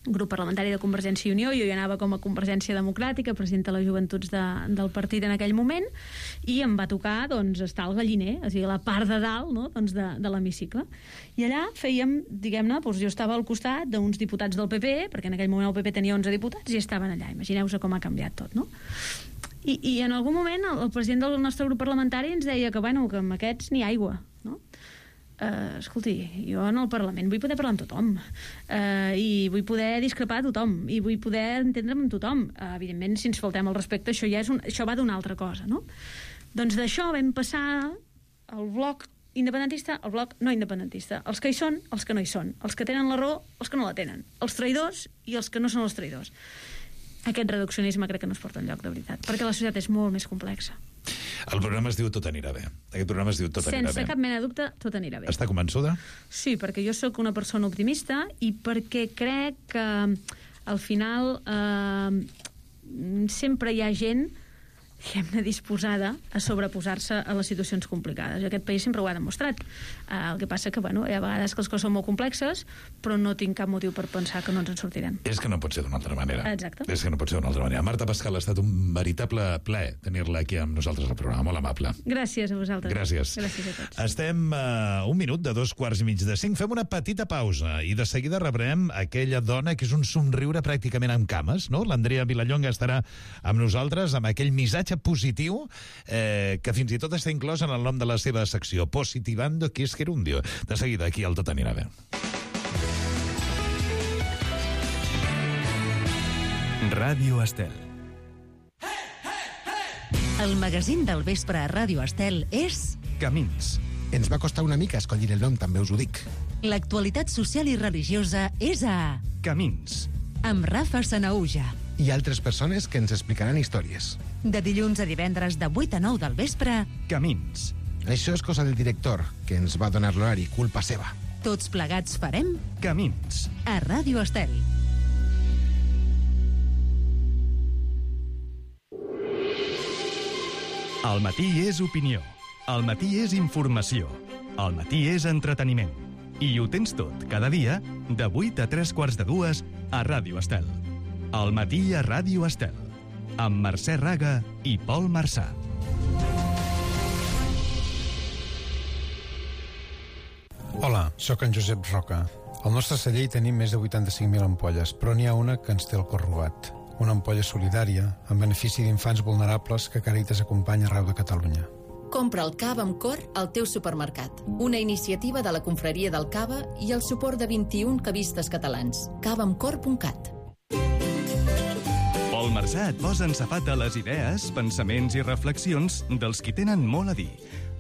grup parlamentari de Convergència i Unió, jo hi anava com a Convergència Democràtica, presidenta de les joventuts del partit en aquell moment, i em va tocar doncs, estar al galliner, o sigui, la part de dalt, no? Doncs de l'hemicicle. I allà fèiem, diguem-ne, doncs jo estava al costat d'uns diputats del PP, perquè en aquell moment el PP tenia 11 diputats i estaven allà. Imagineu-vos com ha canviat tot, no? I en algun moment el president del nostre grup parlamentari ens deia que, bueno, que amb aquests ni aigua, no? Escolti, jo en el Parlament vull poder parlar amb tothom i vull poder discrepar a tothom i vull poder entendre'm amb tothom. Evidentment, si ens faltem el respecte, això va d'una altra cosa, no? Doncs d'això vam passar al bloc independentista, al bloc no independentista. Els que hi són, els que no hi són. Els que tenen la raó, els que no la tenen. Els traïdors i els que no són els traïdors. Aquest reduccionisme crec que no es porta enlloc, de veritat, perquè la societat és molt més complexa. El programa es diu Tot anirà bé. Aquest programa es diu Tot anirà bé. Sense cap mena de dubte, tot anirà bé. Està convençuda? Sí, perquè jo sóc una persona optimista i perquè crec que al final sempre hi ha gent, diguem-ne, disposada a sobreposar-se a les situacions complicades. Aquest país sempre ho ha demostrat. El que passa que, bueno, hi ha vegades que les coses són molt complexes, però no tinc cap motiu per pensar que no ens en sortirem. És que no pot ser d'una altra manera. Exacte. És que no pot ser d'una altra manera. Marta Pascal, ha estat un veritable plaer tenir-la aquí amb nosaltres al programa. Molt amable. Gràcies a vosaltres. Gràcies. Gràcies a tots. Estem a un minut de 2:45. Fem una petita pausa i de seguida rebrem aquella dona que és un somriure pràcticament amb cames, no? L'Andrea Vilallonga estarà amb nosaltres amb aquell missatge positiu que fins i tot està inclòs en el nom de la seva secció, Positivando que es gerundio. De seguida, aquí al Tot anirà bé. Ràdio Estel. El magazín del vespre a Ràdio Estel és... Camins. Ens va costar una mica escollir el nom, també us ho dic. L'actualitat social i religiosa és a... Camins. Amb Rafa Sanaúja. I altres persones que ens explicaran històries. De dilluns a divendres de 8 a 9 del vespre... Camins. Això és cosa del director, que ens va donar l'horari, culpa seva. Tots plegats farem... Camins. A Ràdio Estel. Al matí és opinió. Al matí és informació. Al matí és entreteniment. I ho tens tot, cada dia, de 8 a 3:45 a Ràdio Estel. Al matí a Ràdio Estel. Amb Mercè Raga i Pol Marçà. Hola, sóc en Josep Roca. Al nostre celler hi tenim més de 85.000 ampolles, però n'hi ha una que ens té el cor robat. Una ampolla solidària, en benefici d'infants vulnerables que Càritas acompanya arreu de Catalunya. Compra el cava amb cor al teu supermercat. Una iniciativa de la Confraria del Cava i el suport de 21 cavistes catalans. cavaamcor.cat. Pol Marçà et posa en safata les idees, pensaments i reflexions dels qui tenen molt a dir.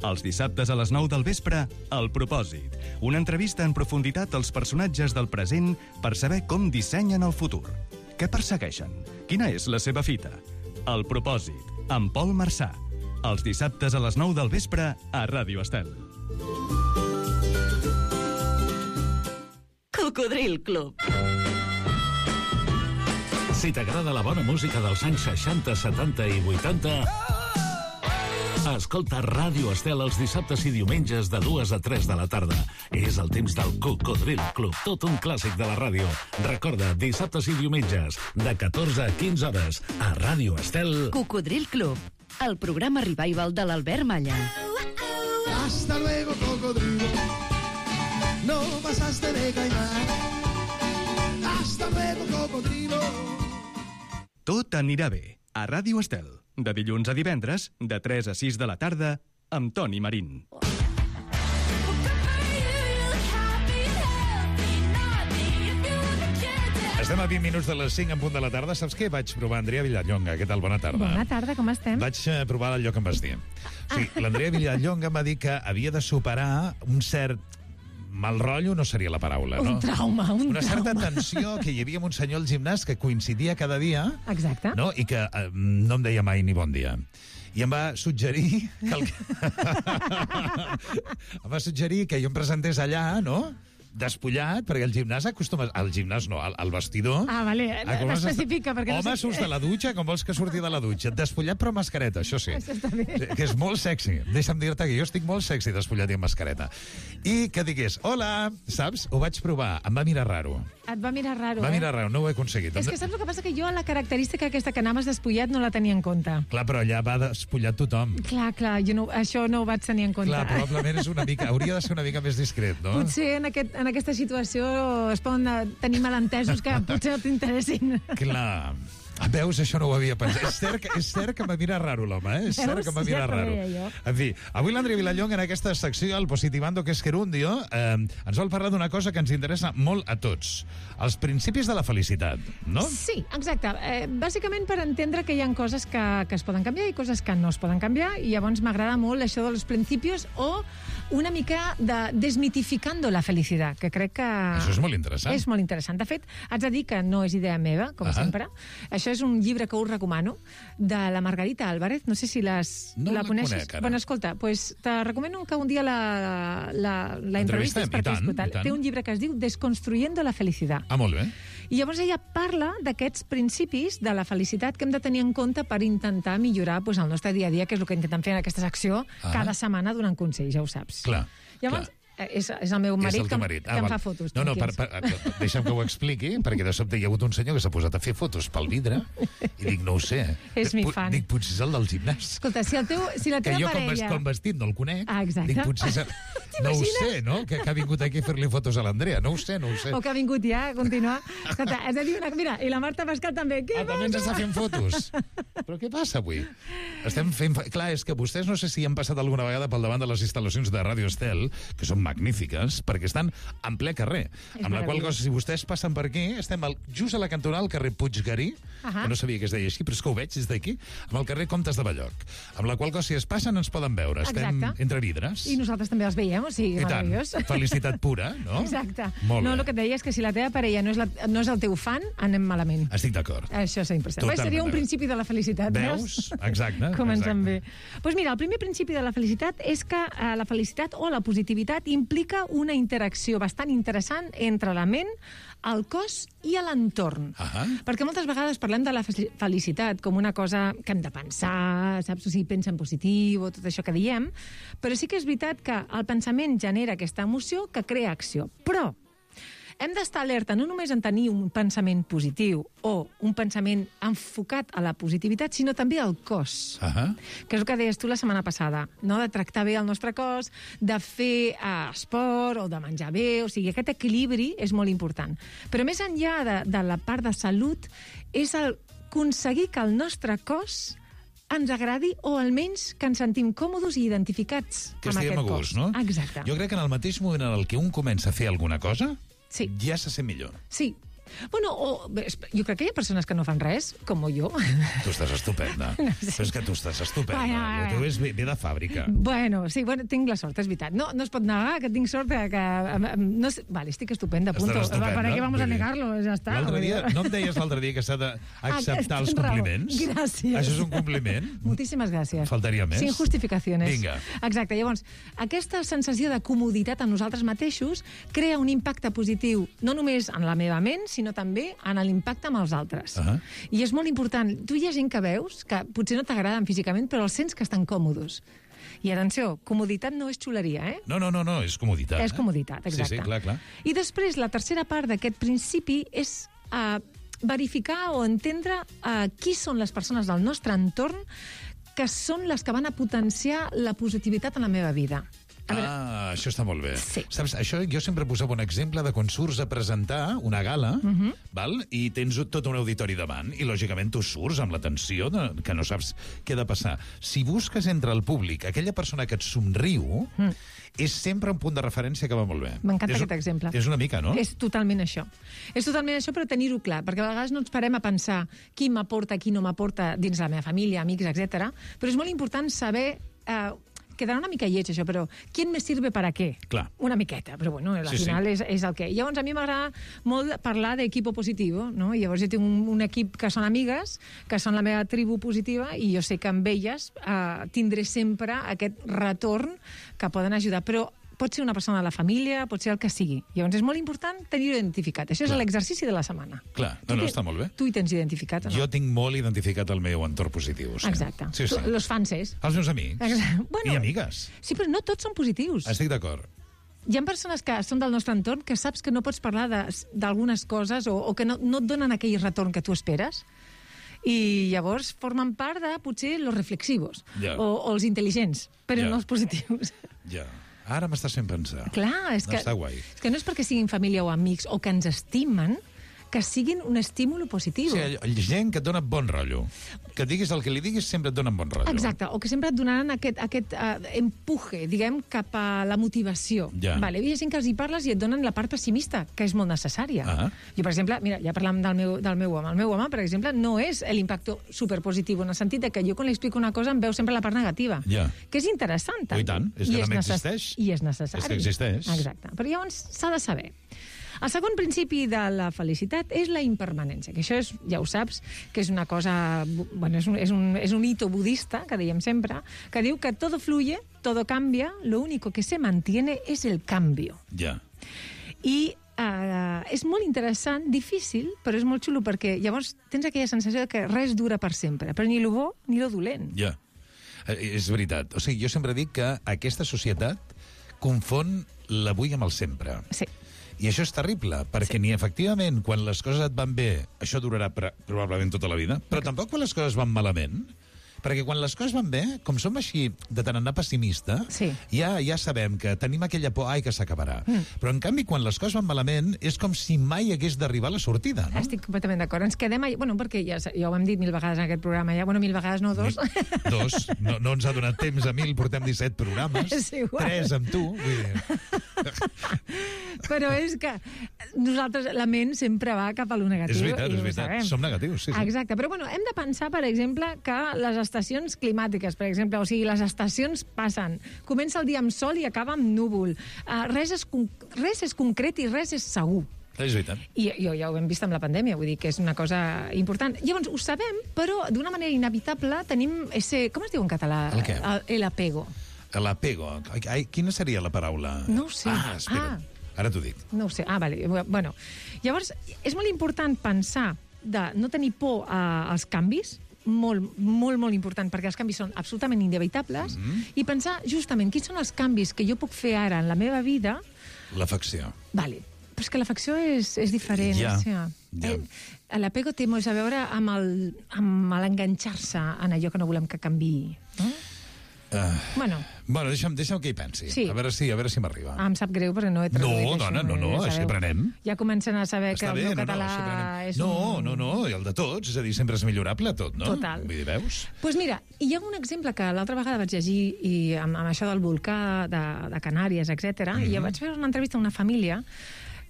Els dissabtes a les 9 del vespre, El Propòsit. Una entrevista en profunditat als personatges del present per saber com dissenyen el futur. Què persegueixen? Quina és la seva fita? El Propòsit, amb Pol Marçà. Els dissabtes a les 9 del vespre a Ràdio Estel. Cocodril Club. Si t'agrada la bona música dels anys 60, 70 i 80... Escolta Ràdio Estel els dissabtes i diumenges de 2 a 3 de la tarda. És el temps del Cocodril Club, tot un clàssic de la ràdio. Recorda, dissabtes i diumenges, de 14 a 15 hores, a Ràdio Estel. Cocodril Club, el programa revival de l'Albert Malla. Hasta luego, cocodrilo. no pasaste de caimán. Hasta luego, cocodrilo. Tot anirà bé, a Ràdio Estel, de dilluns a divendres, de 3 a 6 de la tarda, amb Toni Marín. Estem a 20 minuts de les 5 en punt de la tarda. Saps què? Vaig provar Andrea Vilallonga. Què tal? Bona tarda. Bona tarda, com estem? Vaig provar allò que em vas dir. Sí, l'Andrea Vilallonga em va dir que havia de superar un cert mal rotllo, no seria la paraula, no? Un trauma. Una certa tensió que hi havia amb un senyor al gimnàs que coincidia cada dia. Exacte. No? I que no em deia mai ni bon dia. I em va suggerir que em va suggerir que jo em presentés allà, no?, despullat, perquè el gimnàs acostuma... Al gimnàs no, al vestidor... Ah, vale, especifica, perquè home, surts de la dutxa com vols que surti de la dutxa. Despullat però amb mascareta, això sí. Això està bé. Que és molt sexy. Deixa'm dir-te que jo estic molt sexy despullat i amb mascareta. I que digués, hola, saps? Ho vaig provar, em va mirar raro. Et va mirar raro, Va mirar raro, no ho he aconseguit. És que saps el que passa? Que jo la característica aquesta que anaves despullat no la tenia en compte. Clar, però allà va despullat tothom. Clar, jo no, això no ho vaig tenir en compte. Clar, probablement és una mica... Hauria de ser una mica més discret, no? Potser en aquesta situació es poden tenir malentesos que potser no t'interessin. Clar. Veus, això no ho havia pensat. És cert que m'ha mirat raro l'home, eh? És cert que m'ha mirat raro. En fi, avui l'Andrea Vilallonga en aquesta secció, el Positivando que es Gerundio, ens vol parlar d'una cosa que ens interessa molt a tots. Els principis de la felicitat, no? Sí, exacte. Bàsicament per entendre que hi ha coses que es poden canviar i coses que no es poden canviar, i llavors m'agrada molt això dels principis o una mica de desmitificando la felicitat, que crec que... Això és molt interessant. És molt interessant. De fet, haig de dir que no és idea meva, com sempre. Això és un llibre que us recomano, de la Margarita Álvarez. No sé si la coneixes. Conec, ara. Bueno, escolta, pues te recomano que un dia la entrevistes perquè és brutal. Té un llibre que es diu Desconstruyendo la felicidad. Ah, molt bé. I llavors ella parla d'aquests principis de la felicitat que hem de tenir en compte per intentar millorar el nostre dia a dia, que és el que intentem fer en aquesta secció cada setmana donant consells, ja ho saps. Clar. Llavors, és el meu marit, que em fa fotos. No, deixa'm que ho expliqui, perquè de sobte hi ha hagut un senyor que s'ha posat a fer fotos pel vidre i dic, no ho sé. És mi fan. Dic, potser és el del gimnàs. Escolta, si la teva parella... Que jo, com vestit, no el conec. Ah, exacte. Dic, potser... No ho sé, no? Que ha vingut aquí a fer-li fotos a l'Andrea. No ho sé. O que ha vingut ja a continuar. Escolta, has de dir una... Mira, i la Marta Pascal també. També ens està fent fotos. Però què passa avui? Estem fent... Clar, és que vostès no sé si han passat alguna vegada pel davant de les instal·lacions de Ràdio Estel, que són magnífiques, perquè estan en ple carrer. Amb la qual cosa, si vostès passen per aquí, estem just a la cantonada al carrer Puiggarí, que no sabia que es deia així, però és que ho veig des d'aquí, amb el carrer Comtes de Balloc. Amb la qual cosa, si es passen, ens poden veure. Estem entre vidres. I nosaltres també els veiem, o sigui, meravellós. Felicitat pura, no? Exacte. No, el que et deia és que si la teva parella no és el teu fan, anem malament. Estic d'acord. Això és impressionant. Seria un principi de la felicitat. Veus? Exacte. Comencem bé. Doncs mira, el primer principi de la felicitat és que la felicitat o la positivitat implica una interacció bastant interessant entre la ment, el cos i l'entorn. Perquè moltes vegades parlem de la felicitat com una cosa que hem de pensar, saps? O sigui, pensa en positiu o tot això que diem, però sí que és veritat que el pensament genera aquesta emoció que crea acció. Però hem d'estar alerta no només en tenir un pensament positiu o un pensament enfocat a la positivitat, sinó també al cos. Que és el que deies tu la setmana passada, no? De tractar bé el nostre cos, de fer esport o de menjar bé, o sigui, aquest equilibri és molt important. Però més enllà de la part de salut, és aconseguir que el nostre cos ens agradi o almenys que ens sentim còmodes i identificats amb aquest cos. No? Exacte. Jo crec que en el mateix moment en el que un comença a fer alguna cosa, ja se sent millor. Sí. Bueno, jo crec que hi ha persones que no fan res, com jo. Tu estàs estupenda. No sé. Però és que tu estàs estupenda. El teu és ve de fàbrica. Bueno, sí, tinc la sort, és veritat. No es pot negar que tinc sort que... Vale, estic estupenda, punto. ¿Para qué vamos a negarlo? Ja està. No em deies l'altre dia que s'ha d'acceptar els compliments? Gràcies. Això és un compliment? Moltíssimes gràcies. Faltaria més. Sin justificaciones. Vinga. Exacte. Llavors, aquesta sensació de comoditat en nosaltres mateixos crea un impacte positiu, no només en la meva ment, sinó també en l'impacte amb els altres. I és molt important. Tu hi ha gent que veus que potser no t'agraden físicament, però els sents que estan còmodes. I atenció, comoditat no és xuleria, eh? No, és comoditat. És comoditat, exacte. Sí, clar. I després, la tercera part d'aquest principi és verificar o entendre qui són les persones del nostre entorn que són les que van a potenciar la positivitat en la meva vida. Això està molt bé. Sí. Saps, això jo sempre posava un exemple de quan surts a presentar una gala, val? I tens tot un auditori davant, i lògicament tu surts amb la tensió que no saps què ha de passar. Si busques entre el públic aquella persona que et somriu, és sempre un punt de referència que va molt bé. M'encanta aquest exemple. És una mica, no? És totalment això. És totalment això, però tenir-ho clar, perquè a vegades no ens parem a pensar qui m'aporta, qui no m'aporta dins la meva família, amics, etc. Però és molt important saber... quedarà una mica lleig, això, però ¿quién me sirve para qué? Clar. Una miqueta, però bueno, al final és el que... Llavors, a mi m'agrada molt parlar d'equip positivo, no? I llavors jo tinc un equip que són amigues, que són la meva tribu positiva, i jo sé que amb elles tindré sempre aquest retorn que poden ajudar, però pot ser una persona de la família, pot ser el que sigui. Llavors és molt important tenir-ho identificat. Això és l'exercici de la setmana. Clar, està molt bé. Tu hi tens identificat o no? Jo tinc molt identificat el meu entorn positiu. Sí. Exacte. Sí. Los fanses. Els meus amics. Bueno, i amigues. Sí, però no tots són positius. Estic d'acord. Hi ha persones que són del nostre entorn que saps que no pots parlar d'algunes coses o que no et donen aquell retorn que tu esperes. I llavors formen part de, potser, los reflexivos o els intel·ligents, però no els positius. Ja. Ara m'estàs fent pensar. Clar, és que no és perquè siguin família o amics o que ens estimen, que siguin un estímul positiu. Sí, gent que et dona bon rotllo. Que diguis el que li diguis sempre et donen bon rotllo. Exacte, o que sempre et donaran aquest empuje, diguem, cap a la motivació. Vale, hi ha gent que els hi parles i et donen la part pessimista, que és molt necessària. Jo, per exemple, mira, ja parlem del meu home. El meu home, per exemple, no és l'impacte superpositiu, en el sentit de que jo quan li explico una cosa em veu sempre la part negativa. Que és interessant. I tant, és que també existeix. I és necessari. És que existeix. Exacte, però llavors s'ha de saber. El segon principi de la felicitat és la impermanència, que això és, ja ho saps, que és una cosa... Bueno, és un hito budista, que dèiem sempre, que diu que todo fluye, todo cambia, lo único que se mantiene es el cambio. I és molt interessant, difícil, però és molt xulo, perquè llavors tens aquella sensació de que res dura per sempre, però ni lo bo ni lo dolent. És veritat. O sigui, jo sempre dic que aquesta societat confon l'avui amb el sempre. Sí. I això és terrible, perquè ni efectivament quan les coses et van bé, això durarà probablement tota la vida, però tampoc quan les coses van malament, perquè quan les coses van bé, com som així de tant anar pessimista, ja sabem que tenim aquella por, que s'acabarà. Però en canvi, quan les coses van malament, és com si mai hagués d'arribar a la sortida, no? Estic completament d'acord. Ens quedem allà... Bueno, perquè ja ho hem dit 1000 vegades en aquest programa, ja. Bueno, 1000 vegades, no, 2. 2. No ens ha donat temps a 1000, portem 17 programes. 3 amb tu. Però és que nosaltres, la ment sempre va cap a lo negatiu. És veritat. Som negatius, sí. Exacte. Però bueno, hem de pensar, per exemple, que les estacions climàtiques, per exemple, o sigui, les estacions passen. Comença el dia amb sol i acaba amb núvol. Res és concret i res és segur. És veritat. I ja ho hem vist amb la pandèmia, vull dir que és una cosa important. Llavors, ho sabem, però d'una manera inevitable tenim ese... Com es diu en català? El què? El apego. L'apego. Quina seria la paraula? No ho sé. Espera. Ara t'ho dic. No ho sé. Vale. Bueno, llavors, és molt important pensar de no tenir por als canvis, molt, molt, molt important, perquè els canvis són absolutament inevitables, i pensar justament quins són els canvis que jo puc fer ara en la meva vida. L'afecció. Vale. Però és que l'afecció és diferent. L'apego té molt a veure amb l'enganxar-se en allò que no volem que canviï. Bueno, deixa'm que hi pensi. A veure si m'arriba. Em sap greu perquè no he traduït això. No, així aprenem. Ja comencen a saber que el meu català és un... No, i el de tots, és a dir, sempre és millorable tot, no? Total. Vull dir, veus? Doncs mira, hi ha un exemple que l'altra vegada vaig llegir amb això del volcà de Canàries, etc. I jo vaig fer una entrevista a una família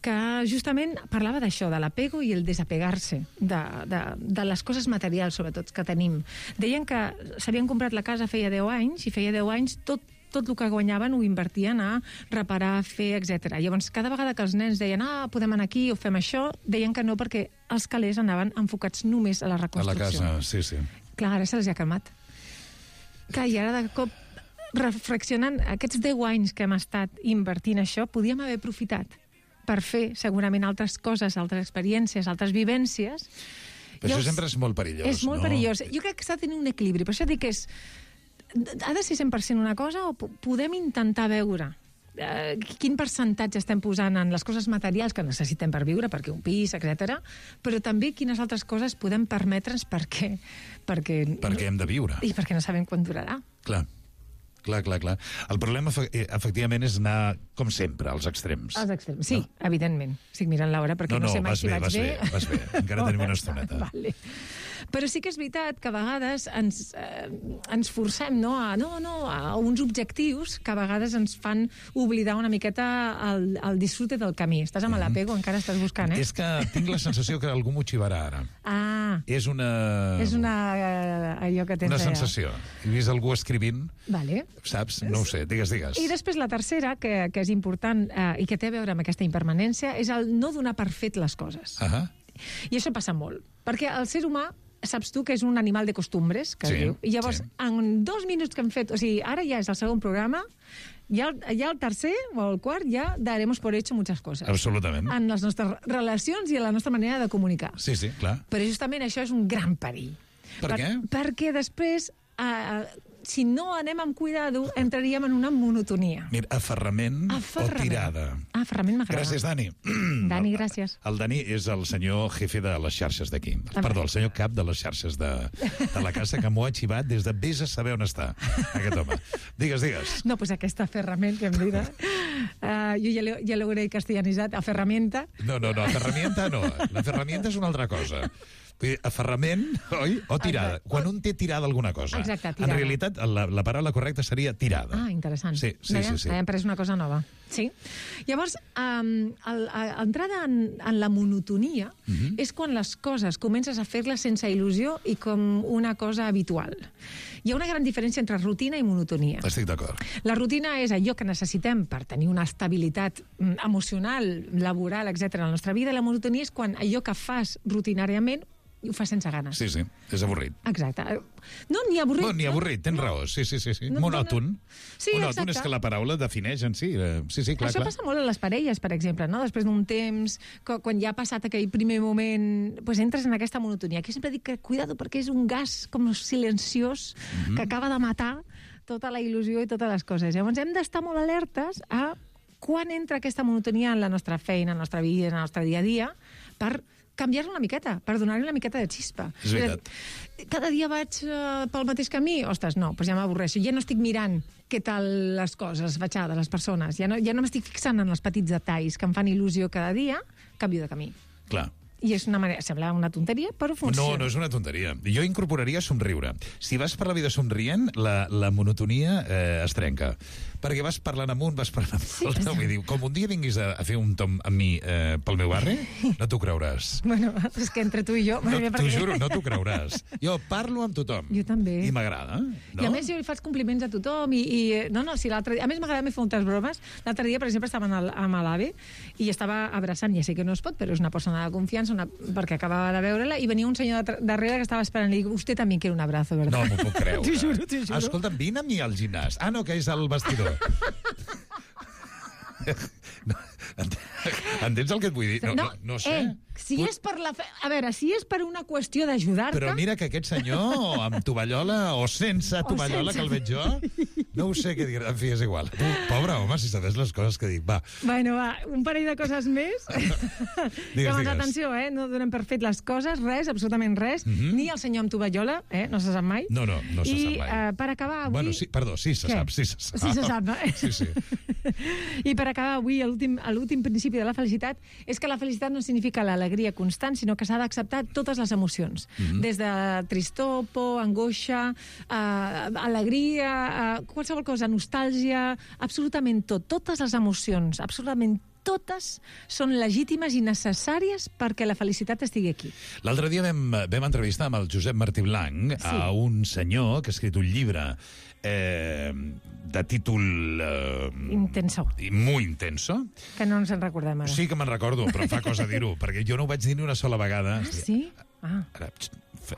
que justament parlava d'això, de l'apego i el desapegar-se, de les coses materials, sobretot, que tenim. Deien que s'havien comprat la casa feia 10 anys, i feia 10 anys tot el que guanyaven ho invertien a reparar, fer, etc. Llavors, cada vegada que els nens deien podem anar aquí o fem això, deien que no, perquè els calés anaven enfocats només a la reconstrucció. A la casa, sí. Clar, ara se'ls ha calmat. Clar, i ara de cop reflexionant, aquests 10 anys que hem estat invertint això, podíem haver aprofitat per fer segurament altres coses, altres experiències, altres vivències. Però això sempre és molt perillós, És molt perillós. Jo crec que s'ha de tenir un equilibri. Per això dic que ha de ser 100% una cosa o podem intentar veure quin percentatge estem posant en les coses materials que necessitem per viure, perquè un pis, etc. Però també quines altres coses podem permetre's perquè hem de viure. I perquè no sabem quan durarà. Clar. Clar. El problema, efectivament, és anar, com sempre, als extrems. Als extrems, sí, evidentment. Estic mirant l'hora perquè no sé mai si vaig bé. Vas bé. Encara tenim una estoneta. Vale. Però sí que és veritat que a vegades ens forcem a uns objectius que a vegades ens fan oblidar una miqueta el disfrute del camí. Estàs amb l'apego, encara estàs buscant, És que tinc la sensació que algú m'ho xivarà ara. És una... allò que tens... Una sensació. He vist algú escrivint, vale. Saps? No ho sé, digues. I després la tercera, que és important i que té a veure amb aquesta impermanència, és el no donar per fet les coses. I això passa molt, perquè el ser humà saps tu que és un animal de costumbres, que es diu. I llavors, en 2 minuts que hem fet... O sigui, ara ja és el segon programa, ja el tercer o el quart ja daremos por hecho muchas cosas. Absolutament. En les nostres relacions i en la nostra manera de comunicar. Sí, clar. Però justament això és un gran perill. Per què? Perquè després... si no anem amb cuidado, entraríem en una monotonia. Mira, aferrament o tirada. Aferrament m'agrada. Gràcies, Dani. Dani, gràcies. El Dani és el senyor jefe de les xarxes d'aquí. Perdó, el senyor cap de les xarxes de la casa, que m'ho ha xivat des de vés a saber on està, aquest home. Digues. No, pues aquesta aferrament que em dirà. Jo ja l'hauré castellanitzat. Aferramenta. No, aferramienta no. L'aferramienta és una altra cosa. Aferrament, oi? O tirada. Exacte. Quan un té tirada alguna cosa. Exacte, tirada. En realitat, la paraula correcta seria tirada. Interessant. Sí. Hem pres una cosa nova. Sí. Llavors, l'entrada en la monotonia és quan les coses comences a fer-les sense il·lusió i com una cosa habitual. Hi ha una gran diferència entre rutina i monotonia. Estic d'acord. La rutina és allò que necessitem per tenir una estabilitat emocional, laboral, etc. en la nostra vida. La monotonia és quan allò que fas rutinàriament i ho fas sense ganes. Sí, és avorrit. Exacte. No, ni avorrit. No, ni avorrit, tens raó. Sí. Monòton. Sí, monòton és que la paraula defineix en si. Sí, clar. Això passa molt a les parelles, per exemple, no? Després d'un temps, quan ja ha passat aquell primer moment, pues entres en aquesta monotonia. Aquí sempre dic que cuidado, perquè és un gas com silenciós que acaba de matar tota la il·lusió i totes les coses. Llavors hem d'estar molt alertes a quan entra aquesta monotonia en la nostra feina, en la nostra vida, en el nostre dia a dia, per canviar-lo una miqueta, per donar-li una miqueta de xispa. És veritat. Cada dia vaig pel mateix camí? Ostres, no, doncs ja m'avorreixo. Ja no estic mirant què tal les coses, fatxades, les persones. Ja no m'estic fixant en els petits detalls que em fan il·lusió cada dia, canvio de camí. Clar. I és una manera, sembla una tonteria, però funciona. No és una tonteria. Jo incorporaria somriure. Si vas per la vida somrient, la monotonia es trenca. Perquè vas parlant amunt, vas parlant amunt. Sí, vull dir, com un dia vinguis a fer un tom amb mi pel meu barri, no t'ho creuràs. Bueno, és que entre tu i jo... T'ho juro, no t'ho creuràs. Jo parlo amb tothom. Jo també. I m'agrada. No? I a més jo li faig compliments a tothom si l'altre dia... A més m'agrada fer moltes bromes. L'altre dia, per exemple, estava amb l'AVE i estava abraçant, ja sé que no es pot, però és una persona de confiança, perquè acabava de veure-la, i venia un senyor darrere que estava esperant. Li dic, usted també quiere un abrazo, ¿verdad? No m'ho puc creure. T'ho juro. Escolta'm, vine amb mi al gimnàs. No, que és el vestidor. Entens el que et vull dir? No sé. Si és per a veure, si és per una qüestió d'ajudar-te... Però mira que aquest senyor, amb tovallola o sense tovallola, que el veig jo, no ho sé què dir. En fi, és igual. Pobre home, si sabés les coses que dic. Va. Bueno, va, un parell de coses més. Digues. Atenció, no donem per fet les coses, res, absolutament res. Ni el senyor amb tovallola, no se sap mai. No se sap mai. I per acabar avui... Bueno, sí se sap. Sí se sap, Sí. I per acabar avui, l'últim principi de la felicitat és que la felicitat no significa l'alegria constant, sinó que s'ha d'acceptar totes les emocions. Des de tristor, por, angoixa, alegria, qualsevol cosa, nostàlgia, absolutament tot. Totes les emocions, absolutament totes són legítimes i necessàries perquè la felicitat estigui aquí. L'altre dia vam entrevistar amb el Josep Martí Blanc a un senyor que ha escrit un llibre de títol... Intenso. Muy intenso. Que no ens en recordem ara. Sí que me'n recordo, però em fa cosa dir-ho, perquè jo no ho vaig dir ni una sola vegada. Sí? Ara,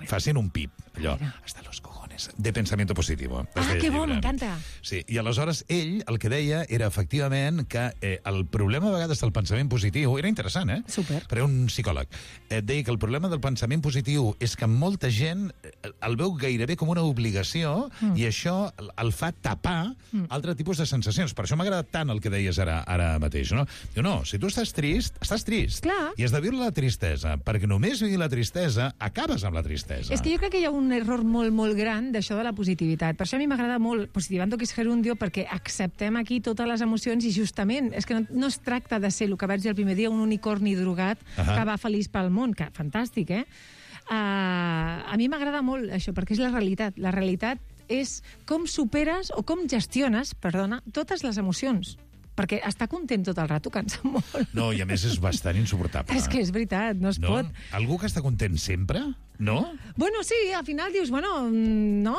facin un pip, allò, hasta los cojones, de pensamiento positivo. Que bo, m'encanta. Sí, i aleshores ell el que deia era efectivament que el problema a vegades del pensament positiu, era interessant, Super. Però un psicòleg, deia que el problema del pensament positiu és que molta gent el veu gairebé com una obligació i això el fa tapar altre tipus de sensacions. Per això m'ha agradat tant el que deies ara mateix, no? Diu, no, si tu estàs trist, estàs trist. Clar. I has de viure la tristesa, perquè només vivir la tristesa acabes amb la tristesa. És que jo crec que hi ha un error molt, molt gran parlant d'això de la positivitat. Per això a mi m'agrada molt Positivando que és gerundio, perquè acceptem aquí totes les emocions i justament és que no es tracta de ser, el que vaig dir el primer dia, un unicorni drogat que va feliç pel món, que fantàstic, a mi m'agrada molt això, perquè és la realitat. La realitat és com superes o com gestiones, totes les emocions. Perquè estar content tot el rato cansa molt. No, i a més és bastant insuportable. És que és veritat, no es pot. Algú que està content sempre, no? Bueno, sí, al final dius, no,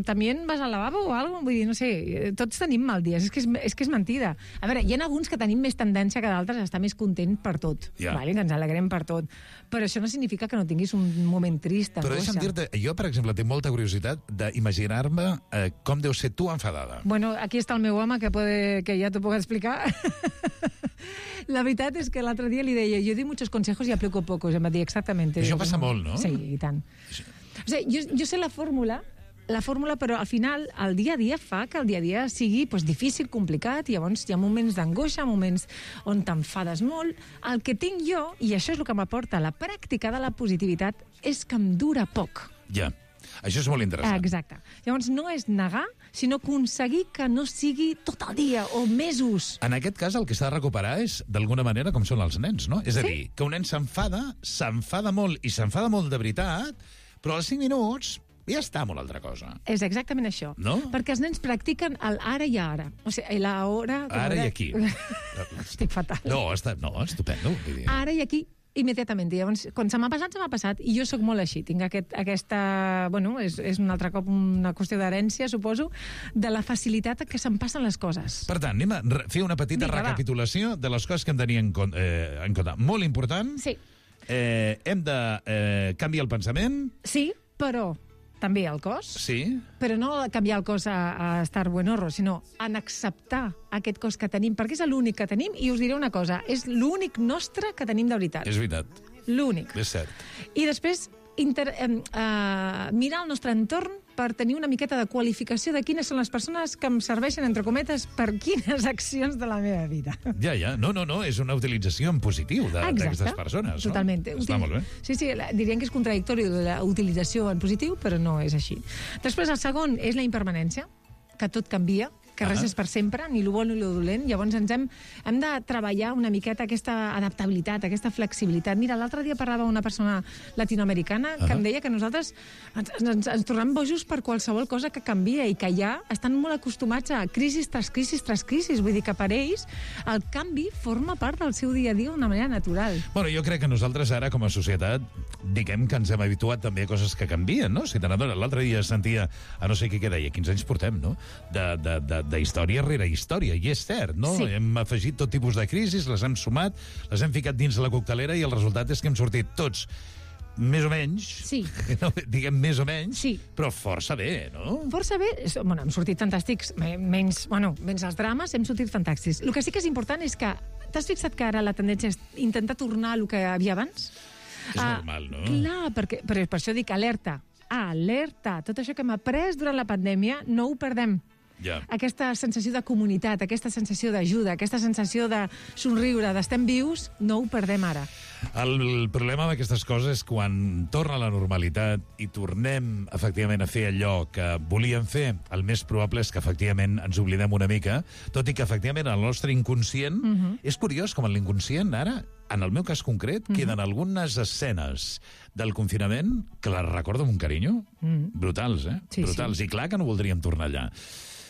també vas al lavabo o alguna cosa, vull dir, no sé, tots tenim mal dies, és que és mentida. A veure, hi ha alguns que tenim més tendència que d'altres a estar més content per tot, vale? Que ens alegrem per tot, però això no significa que no tinguis un moment trist, Però deixa'm dir-te, jo, per exemple, tinc molta curiositat d'imaginar-me com deu ser tu enfadada. Bueno, aquí està el meu home, que ja t'ho puc explicar. La veritat és que l'altre dia li deia, yo doy muchos consejos y aplico pocos, em va dir exactamente. Això passa molt, no? Sí, i tant. O sigui, jo sé la fórmula, però al final el dia a dia fa que el dia a dia sigui difícil, complicat, i llavors hi ha moments d'angoixa, moments on t'enfades molt. El que tinc jo, i això és el que m'aporta la pràctica de la positivitat, és que em dura poc. Ja. Això és molt interessant. Exacte. Llavors no és negar, sinó aconseguir que no sigui tot el dia o mesos. En aquest cas el que s'ha de recuperar és, d'alguna manera, com són els nens, no? És a dir, que un nen s'enfada molt, i s'enfada molt de veritat, però als 5 minuts ja està molt altra cosa. És exactament això. No? Perquè els nens practiquen l'ara i ara. O sigui, l'hora... Ara i aquí. Estic fatal. No, estupendo. Ara i aquí, immediatament. Llavors, quan se m'ha passat, i jo sóc molt així. Tinc aquesta... Bueno, és un altre cop una qüestió d'herència, suposo, de la facilitat que se'm passen les coses. Per tant, anem a fer una petita recapitulació de les coses que hem de tenir en compte. Molt important. Sí. Hem de canviar el pensament. Sí, però també el cos. Sí. Però no canviar el cos a estar buenorro, sinó en acceptar aquest cos que tenim, perquè és l'únic que tenim, i us diré una cosa, és l'únic nostre que tenim de veritat. És veritat. L'únic. És cert. I després mirar el nostre entorn per tenir una miqueta de qualificació de quines són les persones que em serveixen, entre cometes, per quines accions de la meva vida. Ja. No, és una utilització en positiu d'aquestes persones. Totalment. No? Està molt bé. Sí, dirien que és contradictori la utilització en positiu, però no és així. Després, el segon és la impermanència, que tot canvia, que res és per sempre, ni lo bo ni lo dolent. Llavors hem de treballar una miqueta aquesta adaptabilitat, aquesta flexibilitat. Mira, l'altre dia parlava una persona latinoamericana que em deia que nosaltres ens tornem bojos per qualsevol cosa que canvia i que ja estan molt acostumats a crisis tras crisis tras crisis. Vull dir que per ells el canvi forma part del seu dia a dia d'una manera natural. Bueno, jo crec que nosaltres ara, com a societat, diguem que ens hem habituat també a coses que canvien, no? Si l'altre dia sentia, a no sé què deia, 15 anys portem, no? De història rere història, i és cert, no? Sí. Hem afegit tot tipus de crisis, les hem sumat, les hem ficat dins la coctelera i el resultat és que hem sortit tots més o menys, diguem més o menys, però força bé, no? Força bé, bueno, hem sortit fantàstics, menys els drames, hem sortit fantàstics. El que sí que és important és que, t'has fixat que ara la tendència és intentar tornar al que havia abans? És normal, no? Clar, però per això dic alerta. Alerta! Tot això que hem après durant la pandèmia no ho perdem. Ja. Aquesta sensació de comunitat, aquesta sensació d'ajuda, aquesta sensació de somriure, d'estem vius, no ho perdem ara. El problema d'aquestes coses és quan torna a la normalitat i tornem, efectivament, a fer allò que volíem fer, el més probable és que, efectivament, ens oblidem una mica, tot i que, efectivament, el nostre inconscient... És curiós com en l'inconscient, ara, en el meu cas concret, queden algunes escenes del confinament que les recordo amb un carinyo. Brutals, Sí, brutals. I clar que no voldríem tornar allà.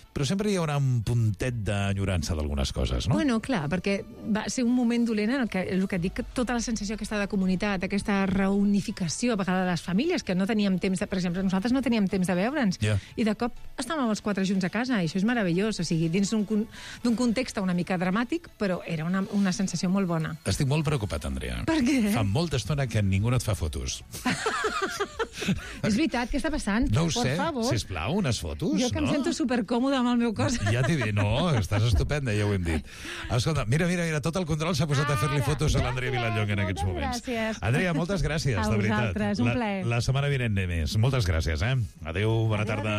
Però sempre hi haurà un puntet d'enyorança d'algunes coses, no? Bueno, clar, perquè va ser un moment dolent en el que dic, tota la sensació aquesta de comunitat, aquesta reunificació, a vegades de les famílies, que no teníem temps, per exemple, nosaltres no teníem temps de veure'ns, i de cop estàvem els 4 junts a casa, i això és meravellós, o sigui, dins d'un context una mica dramàtic, però era una sensació molt bona. Estic molt preocupat, Andrea. Per què? Fa molta estona que ningú no et fa fotos. És veritat, què està passant? No ho sé, sisplau, unes fotos, jo que em sento supercòmoda amb el meu cos. Ja t'he dit, no, estàs estupenda, ja ho hem dit. Escolta, mira, tot el control s'ha posat a fer-li fotos a l'Andrea Vilallonga en aquests moments. Gràcies. Andrea, moltes gràcies, de veritat. A vosaltres, un plaer. La setmana vinent més. Moltes gràcies, Adéu, bona tarda.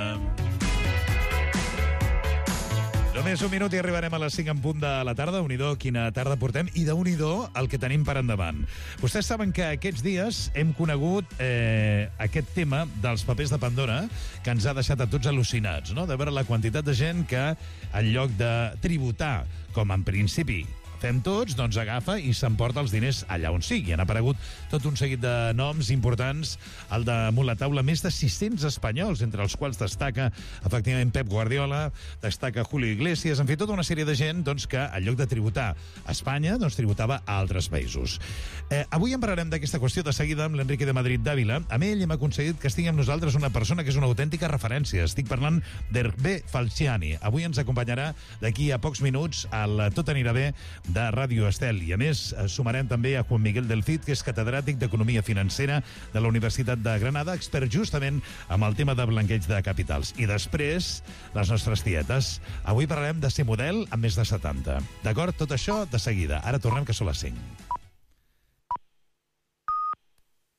Només un minut i arribarem a les 5 en punt de la tarda. Déu-n'hi-do, quina tarda portem, i déu-n'hi-do el que tenim per endavant. Vostès saben que aquests dies hem conegut aquest tema dels papers de Pandora, que ens ha deixat a tots al·lucinats, no? De veure la quantitat de gent que, en lloc de tributar, com en principi fem tots, doncs agafa i s'emporta els diners allà on sigui. Han aparegut tot un seguit de noms importants al damunt la taula, més de 600 espanyols, entre els quals destaca efectivament Pep Guardiola, destaca Julio Iglesias, en fi, tota una sèrie de gent doncs, que en lloc de tributar a Espanya, doncs tributava a altres països. Avui en parlarem d'aquesta qüestió de seguida amb l'Enrique de Madrid d'Àvila. Amb ell hem aconseguit que estigui amb nosaltres una persona que és una autèntica referència. Estic parlant d'Hervé Falciani. Avui ens acompanyarà d'aquí a pocs minuts al Tot anirà bé de Ràdio Estel. I a més sumarem també a Juan Miguel del Cid, que és catedràtic d'Economia Financera de la Universitat de Granada, expert justament amb el tema de blanqueig de capitals. I després, les nostres tietes. Avui parlarem de ser model amb més de 70. D'acord? Tot això de seguida. Ara tornem, que són les 5.